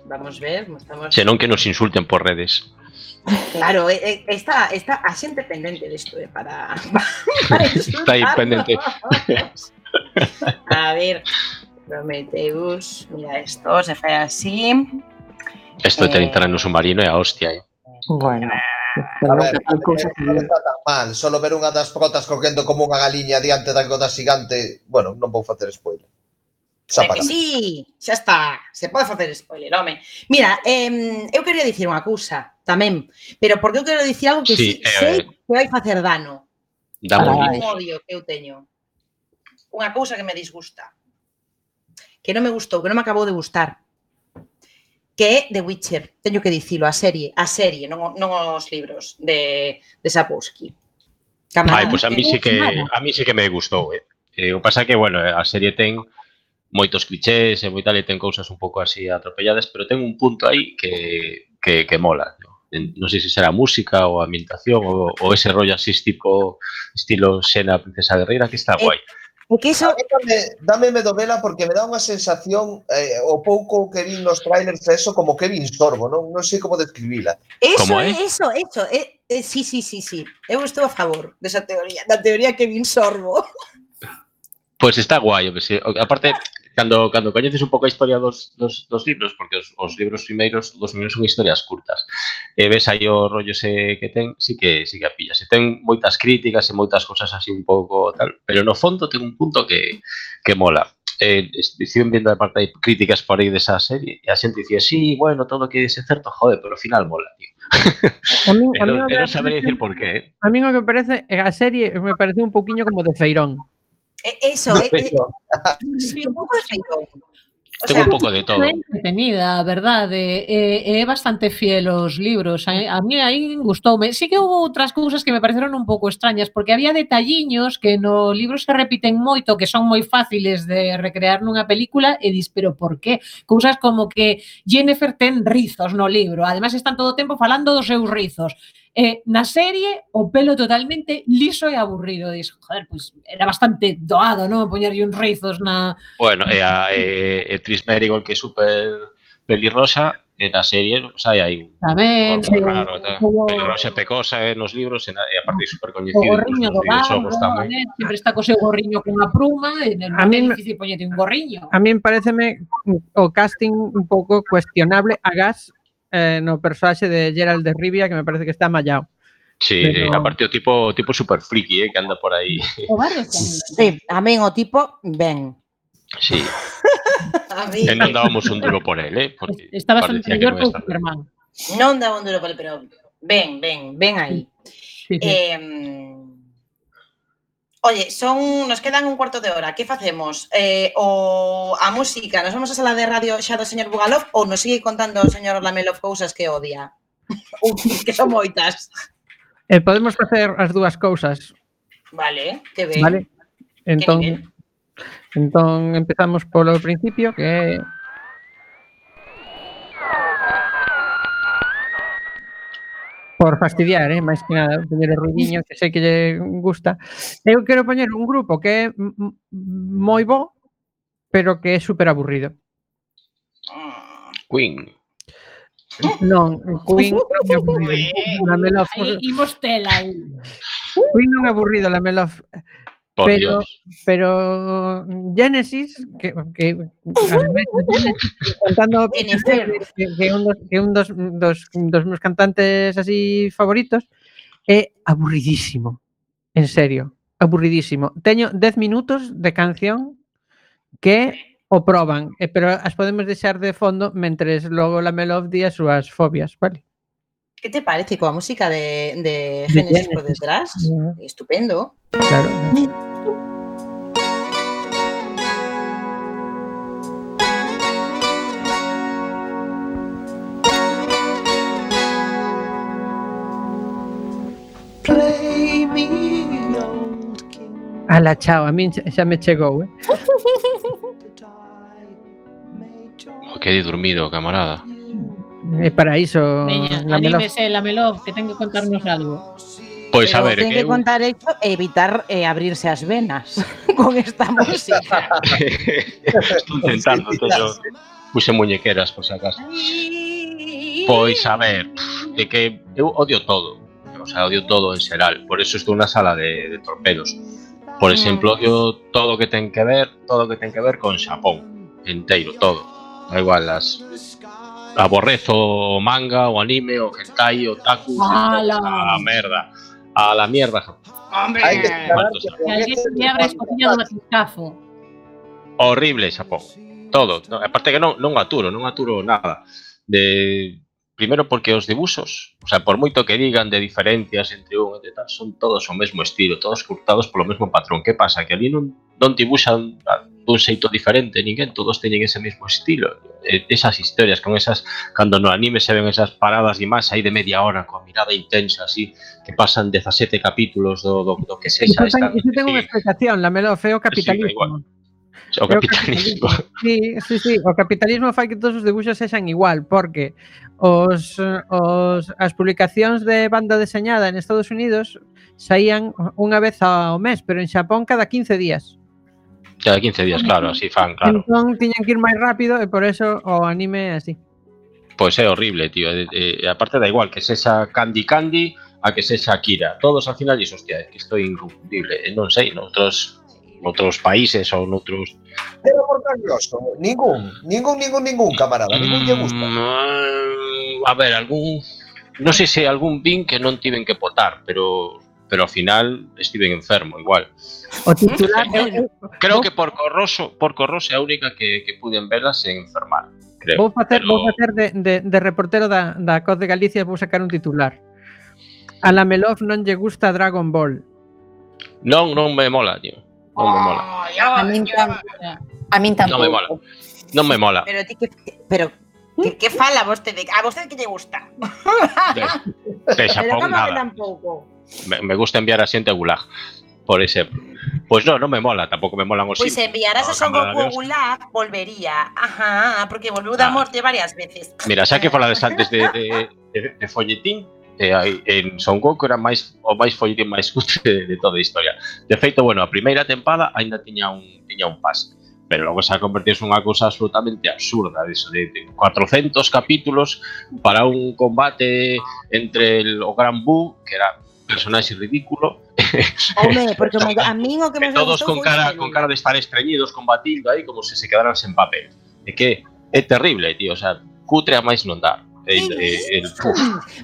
Vamos ver, estamos...
Senón que nos insulten por redes.
Claro, eh, eh, está, está a xente pendente desto, eh, para, para
Está aí pendente.
A ver, Prometheus, mira esto, se fai así.
Esto de
Eh.
entrar no submarino é a hostia. Eh.
Bueno,
A ver, non está tan mal. Solo ver unha das protas correndo como unha galiña diante da roda xigante. Bueno, non vou facer spoiler. Xa
É que
para.
sí, xa está, se pode facer spoiler, home. Mira, eh, eu quería dicir unha cousa tamén, pero porque eu quero dicir algo que sí,
Sí, eh,
sei que vai facer dano.
Dá
Ai.
moi
Un
bien.
odio que eu teño. Unha cousa que me disgusta. Que non me gustou, que non me acabou de gustar. Que é The Witcher. Teño que dicilo, a serie, a serie, non, o- non os libros de, de Sapkowski.
Ai, pois a mí sí que a mí sí que me gustou, eh. Eh, o pasa que, bueno, a serie ten moitos clichés e moi tal, e ten cousas un pouco así atropelladas, pero ten un punto aí que, que, que mola, ¿no? Non sei se será música ou ambientación ou, ou ese rollo así tipo estilo Xena Princesa Guerreira que está
Eh,
guai.
É que iso,
A mí dame, dame medo vela porque me dá unha sensación eh, o pouco que vi nos trailers eso como Kevin Sorbo, non, non sei como describila.
eso
Como
é,
é?
eso, eso, é, é, sí, sí, sí, sí. Eu estou a favor desa teoría, da teoría que vin Sorbo.
Pois está guai, pues, sí. Aparte, cando, cando coñeces un pouco a historia dos, dos, dos libros, porque os, os libros primeiros, dos primeiros son historias curtas, e ves aí o rollo ese que ten, sí que, sí que a pillas. E ten moitas críticas e moitas cosas así un pouco tal, pero no fondo ten un punto que, que mola. Eh, estiven vendo a parte de críticas por aí desa serie, e a xente dicía, sí, bueno, todo que é certo, joder, pero ao final mola, tío.
A min,
E
a min,
non,
o
e
que
non sabería dicir por qué, eh.
a min o que parece, a serie me parece un pouquiño como de Feirón.
É, eso, é, é, sí, un pouco de feito. O
Ten
sea,
un pouco de todo.
É entretenida, a verdade, é, é bastante fiel aos libros. A, a mí aí gustoume. Sí que houve outras cousas que me pareceron un pouco extrañas, porque había detalliños que no libro se repiten moito, que son moi fáciles de recrear nunha película, e dis, pero por qué? Cousas como que Jennifer ten rizos no libro, ademais están todo o tempo falando dos seus rizos. Eh, na serie, o pelo totalmente liso e aburrido. Dis, joder, pois era bastante doado, non? Poñerlle uns rizos na...
Bueno, e a e, e Tris Merigold, que é super pelirrosa, e na serie, o sea, hai un
Tamén,
corpo
sí,
raro, tal.
como-
Pelirrosa e pecosa eh, nos libros, e, na, e aparte super
O
coñecido
gorriño do
nos videoxogos
bardo,
tamén.
né? Sempre está co seu gorriño cunha pluma, e non
A
é
min me-
difícil poñerte un gorriño.
A min pareceme o casting un pouco cuestionable agás eh, no personaxe de Geralt de Rivia, que me parece que está mallado.
Sí,
Pero-
aparte o tipo tipo super friki, eh, que anda por aí.
O bardo tamén.
Sí, a min o tipo, ben.
Sí,
A min
e non dábamos un duro por él, eh, porque
Está bastante
parecía que
mellor
non
que o
estaba.
Superman.
non daba un duro por ele, pero ben, ben, ben aí.
Sí, sí.
Eh, oye, son, nos quedan un cuarto de hora. Que facemos? Eh, o a música, nos vamos a sala de radio xa do señor Bugalov ou nos sigue contando o señor Lamelov cousas que odia? Ou que son moitas.
Eh, podemos facer as dúas cousas,
Vale, que ben.
vale? Entón,
nivel?
entón empezamos polo principio, que é por fastidiar, eh, máis que nada, teñer o ruidiño que sei que lle gusta. Eu quero poñer un grupo que é m- m- moi bo, pero que é super aburrido.
Queen.
Non, Queen non é aburrido. Lamelov,
Aí imos tela aí.
Queen non é aburrido, Lamelov.
Por
Pero,
Dios.
pero Genesis, que, que as veces Genesis, cantando
Jennifer.
que, que un, dos, que un dos, dos, dos meus cantantes así favoritos, é aburridísimo. En serio, aburridísimo. Teño dez minutos de canción que o proban, eh, pero as podemos deixar de fondo mentres logo Lamelov di as súas fobias, vale?
Que te parece coa música de, de
De
Genesis por
Genesis.
detrás?
Yeah.
Estupendo.
Claro. Ala, chao, a min xa me chegou, eh?
Oh, quedei dormido, camarada.
E para iso
Veña,
Lamelov.
anímese, Lamelov, que ten que contarnos algo.
Pois a
Pero
ver,
ten
que
que
eu
contar isto e evitar eh, abrirse as venas con esta música.
estou intentando, teño puse muñequeras por si acaso. Pois a ver, de que eu odio todo. O sea, odio todo en xeral. Por eso estou na sala de, de torpedos. Por exemplo, odio todo o que ten que ver, todo o que ten que ver con Xapón, enteiro, todo. Da igual, as aborrezo o manga, o anime, o hentai, o otaku,
¡Hala!
a la merda. A la mierda, Japón.
Hai que esperar
Cuántos
que
Que alguén se abra a escotilla do batiscafo.
Horrible Xapón. Todo. No, aparte que non, non aturo, non aturo nada. De Primeiro porque os dibuxos, o sea, por moito que digan de diferencias entre un e tal, son todos o mesmo estilo, todos curtados polo mesmo patrón. Que pasa? Que ali non, non dibuxan dun xeito diferente, ninguén, todos teñen ese mesmo estilo. E, esas historias con esas, cando no anime se ven esas paradas de imaxe aí de media hora, coa mirada intensa, así, que pasan dezasete capítulos do, do, do que sexa.
Iso ten, iso ten unha explicación, Lamelov, é o
igual.
capitalismo.
O capitalismo.
Sí, sí, sí, o capitalismo fai que todos os dibuxos sexan igual, porque os, os as publicacións de banda deseñada en Estados Unidos saían unha vez ao mes, pero en Xapón cada quince días.
Cada quince días, claro, así fan, claro.
Entón tiñan que ir máis rápido e por eso o anime é así.
Pois é horrible, tío. E, e, e aparte da igual que sexa Candy Candy a que sexa Akira. Todos al final dixo, hostia, é que isto é inconfundible. E non sei, noutros noutros países ou noutros...
Pero por curioso, ningún, ningún, ningún, ningún, camarada, ningún lle gusta.
Mm, a ver, algún... Non sei se algún vin que non tiven que potar, pero pero ao final estiven enfermo igual.
O titular
eu, creo que por Corroso, por Corroso é a única que, que puden verla sen enfermar, creo.
Vou facer,
pero...
vou facer de, de, de reportero da, da Coz de Galicia, vou sacar un titular. A Lamelov non lle gusta Dragon Ball.
Non, non me mola, tío. Non me mola.
A min, tam, a min tampouco.
Non me mola. Non me mola.
Pero ti que pero que, que fala vostede? A vostede que lle gusta?
De, de Xapón
Pero como que
nada.
tampouco?
Me, me gusta enviar a xente a Gulag, por exemplo. Pois non, non me mola, tampouco me molan os
Pois
Simpsons.
enviaras a
No,
Son Goku
Camarada
a
Dios.
Gulag, volvería. Ajá, porque volveu da
Ah.
morte varias veces.
Mira, xa que falades antes de, de, de, de folletín, eh, hai- en Son Goku era máis o máis folletín máis cutre de, de toda a historia. De feito, bueno, a primeira tempada aínda tiña un tiña un pas, pero logo xa convertiuse nunha cousa absolutamente absurda, de eso, de, de cuatrocentos capítulos para un combate entre el, o Gran Buu, que era un personaxe ridículo,
Home, porque me, a min o que
e
me
todos
gustou
con
foi
cara
Célula.
con cara de estar estreñidos combatindo aí como se se quedaran sen papel. É que é terrible, tío, o sea, cutre a máis non dar. el, el, el,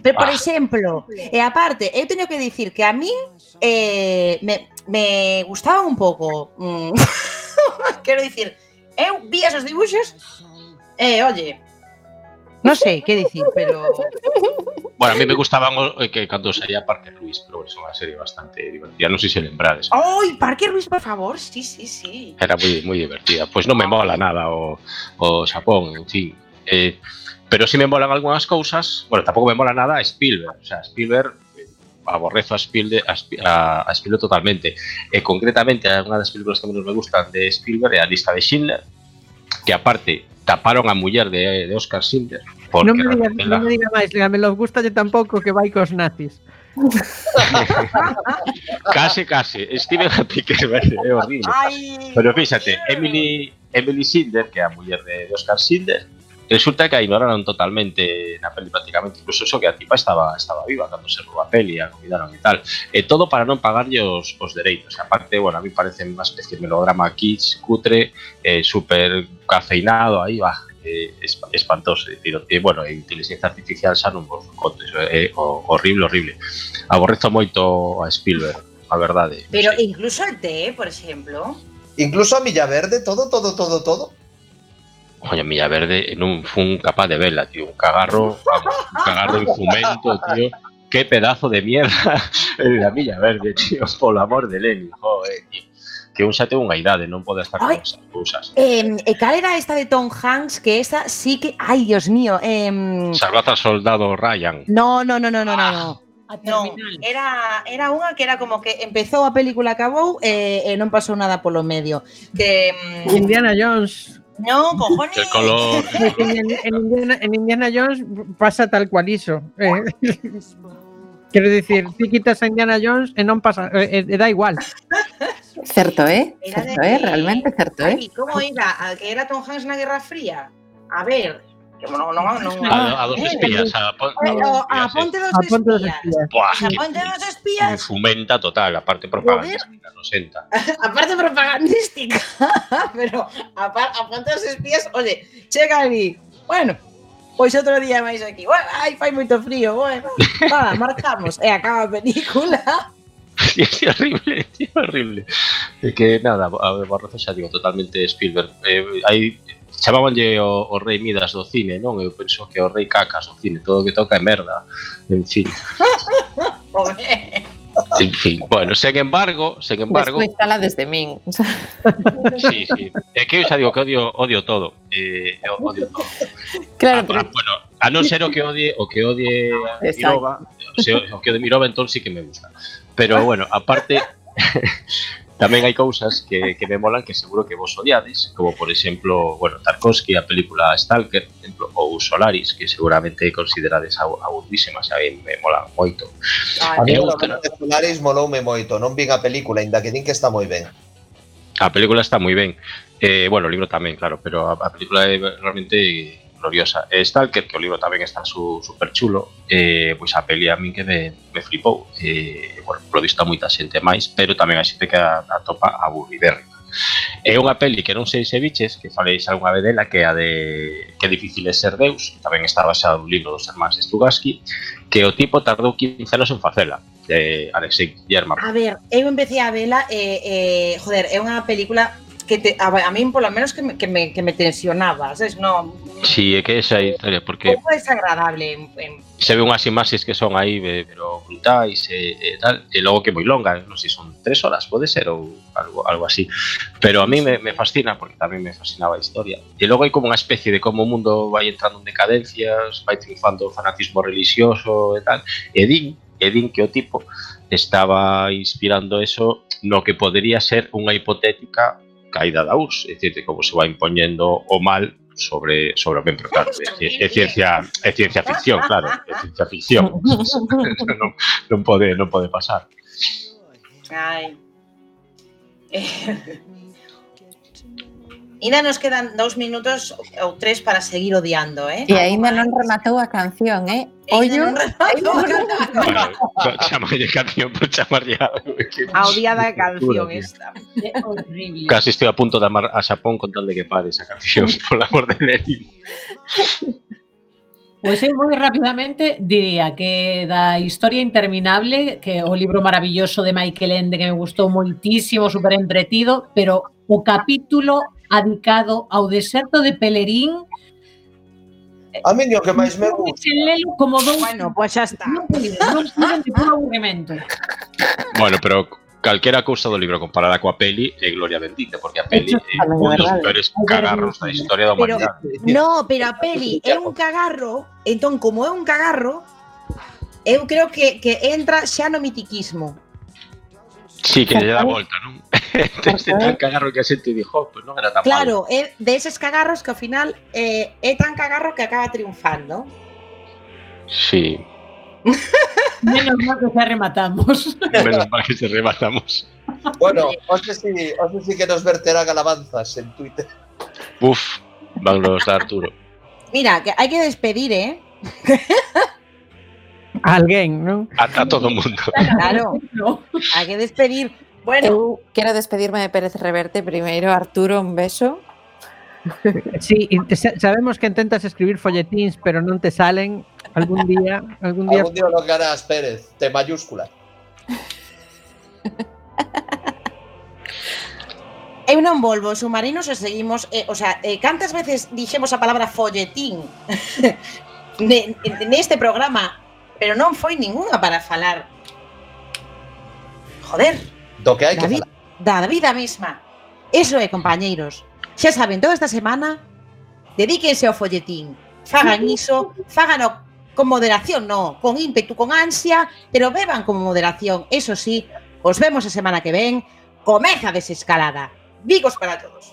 Pero, por
ah.
exemplo, e aparte, eu teño que dicir que a mí eh, me, me gustaban un pouco. Mm, quero dicir, eu vi esos dibuxos e, eh, oye, non sei que dicir, pero...
Bueno, a mí me gustaban o, que cando saía Parker Lewis, pero bueno, é unha serie bastante divertida, non sei se lembrades.
Ai, Parker Lewis, por favor, sí, sí, sí.
Era moi moi divertida. Pois pues non me mola nada o, o Xapón, en fin. Eh, pero si me molan algunhas cousas, bueno, tampouco me mola nada a Spielberg, o sea, Spielberg eh, aborrezo a Spielberg, a, a, a Spielberg totalmente. E concretamente, unha das películas que menos me gustan de Spielberg é A lista de Schindler, que aparte taparon a muller de, de Oscar Schindler.
Non me diga, la... non me diga máis, me lo gustalle tampouco que vai cos nazis.
case, case. Steven Spielberg é horrible. Ay. Pero fíxate, Emily, Emily Schindler, que é a muller de, de Oscar Schindler, resulta que a ignoraron totalmente na peli prácticamente, incluso eso que a tipa estaba estaba viva cando se roba a peli, a cuidaron e tal. E todo para non pagarlle os, os dereitos. E aparte, bueno, a mí parece unha especie de melodrama kitsch, cutre, eh, super cafeinado, aí va, eh, espantoso. É dicir, e, bueno, a inteligencia artificial xa non vos contes, é eh, horrible, horrible. Aborrezo moito a Spielberg, a verdade.
Pero sí. Incluso el té, por exemplo.
Incluso a Milla Verde, todo, todo, todo, todo.
Oye, Milla Verde non fun capaz de verla, tío. Un cagarro, vamos, un cagarro en fumento, tío. Qué pedazo de mierda la Milla Verde, tío. Por amor de Lenin, joder, tío. Que un xa ten unha idade, non pode estar con esas cousas.
Eh, e cal era esta de Tom Hanks? Que esta sí que... Ay, Dios mío. Eh...
Salvad al soldado Ryan.
No, no, no, no, no, no. No, era, era unha que era como que empezou a película, acabou e, e non pasou nada polo medio. Que...
Indiana Jones...
No, cojones.
El color.
En, en, Indiana, en Indiana Jones pasa tal cual iso. Eh. Quero dicir, ti quitas a Indiana Jones e non pasa, e, e da igual.
Certo, eh? Era certo, eh? Realmente certo, eh?
Ay, como era? A que era Tom Hanks na Guerra Fría? A ver, que non, non, non.
A, a dos espías, a, pon,
no, a, a Ponte dos a Ponte dos Espías.
Buah,
a Ponte dos Espías.
Fomenta total, a parte propagandística, no senta.
A parte propagandística, pero a, a Ponte dos Espías, oye, chega ali. Bueno, pois outro día máis aquí. Bueno, ai, fai moito frío, bueno. Vale, marcamos e acaba a película.
Sí, sí, horrible, sí, horrible. É que nada, a Barroso xa digo, totalmente Spielberg. Eh, hai chamábanlle o, o rei Midas do cine, non? Eu penso que o rei Cacas do cine, todo o que toca é merda. En fin. En fin, bueno, sen embargo, sen embargo...
Despois fala desde min.
Sí, sí. É que eu xa digo que odio, odio todo. Eh, odio todo.
Claro,
ah,
pero...
Bueno, a non ser o que odie, o que odie a Mirova, o, sea, o que odie Mirova, entón sí que me gusta. Pero bueno, aparte... Tamén hai cousas que, que me molan que seguro que vos odiades, como por exemplo, bueno, Tarkovsky, a película Stalker, por exemplo, ou Solaris, que seguramente considerades aburrísimas, a mí me molan moito.
A mí outra... Solaris moloume moito, non vin a película, ainda que din que está moi ben.
A película está moi ben, eh, bueno, o libro tamén, claro, pero a, a película é realmente gloriosa. E Stalker, que o libro tamén está su, super chulo, eh, pois a peli a min que me, me flipou. Eh, bueno, polo visto a moita xente máis, pero tamén a xente que a, a topa aburridérrima. É unha peli que non sei se biches, que faleis algunha vez dela, que é a de Que difícil é ser Deus, tamén está basado no libro dos hermanos Strugatsky, que o tipo tardou quince anos en facela, de Alexei German.
A ver, eu empecé a vela e, eh, eh, joder, é unha película que te, a, a min polo menos que me, que me, que me tensionaba, sabes? No,
sí, é que esa historia, porque
un pouco desagradable en, en...
se ve unhas imaxes que son aí pero brutais e, e tal, e logo que moi longa, non sei, son tres horas, pode ser, ou algo, algo así, pero a mí me, me fascina, porque tamén me fascinaba a historia, e logo hai como unha especie de como o mundo vai entrando en decadencias, vai triunfando o fanatismo religioso e tal, e din, e din que o tipo estaba inspirando eso no que podería ser unha hipotética caída da U R S S, é dicir, como se vai impoñendo o mal sobre sobre o ben, pero claro, é, é ciencia é ciencia ficción, claro, é ciencia ficción. non, non pode non pode pasar.
Ai. Eh. Ainda nos quedan dous minutos ou tres para seguir odiando, eh?
E aínda non rematou a canción, eh? Ollo,
non rematou a canción.
Bueno, chamarlle canción por chamarlle algo.
A odiada canción esta. É horrible.
Casi estou a punto de amar a Xapón con tal de que pare esa canción, por amor de Lenin.
Pois eu moi rapidamente diría que da Historia Interminable, que é o libro maravilloso de Michael Ende que me gustou moitísimo, super entretido, pero o capítulo adicado ao deserto de Pelerín
A mí o que máis me gusta.
lelo como dous
Bueno, pois xa está.
non puiden, non puiden de puro aburrimento.
Bueno, pero calquera cousa do libro comparada coa peli é gloria bendita, porque a peli
Eso
é
tamén é
un dos
verdade.
peores cagarros da historia da
Pero,
humanidade.
no, pero a peli é un cagarro, entón, como é un cagarro, eu creo que, que entra xa no mitiquismo.
Sí, que lle dá a volta, non? Este tan cagarro que a xente dixo, pois non era tan malo.
Claro, é deses cagarros que ao final eh, é tan cagarro que acaba triunfando.
Sí,
Menos mal que xa rematamos.
menos mal que se rematamos.
Bueno, hoxe si, hoxe si que nos verterán alabanzas en Twitter.
Uf, van los da Arturo.
Mira, que hai que despedir, eh?
Alguén, non?
A, a todo o mundo.
Claro, hai que despedir. Bueno,
Eu quero despedirme de Pérez Reverte. Primeiro, Arturo, un beso.
Sí, y te- sa- sabemos que intentas escribir folletíns, pero non te salen. Algún día, algún día
Algún día lo harás, Pérez, T mayúscula.
eu non volvo, submarinos e seguimos, eh, o sea, eh, cantas veces dixemos a palabra folletín ne- neste programa, pero non foi ningunha para falar. Joder,
Do que hai que
da, vi-
falar.
da vida mesma. Eso é, compañeiros. Xa saben, toda esta semana dedíquense ao folletín. Fagan iso, fágano con moderación, no, con ímpetu, con ansia, pero beban con moderación. Eso sí, os vemos a semana que ven. Comeza a desescalada. Vigos para todos.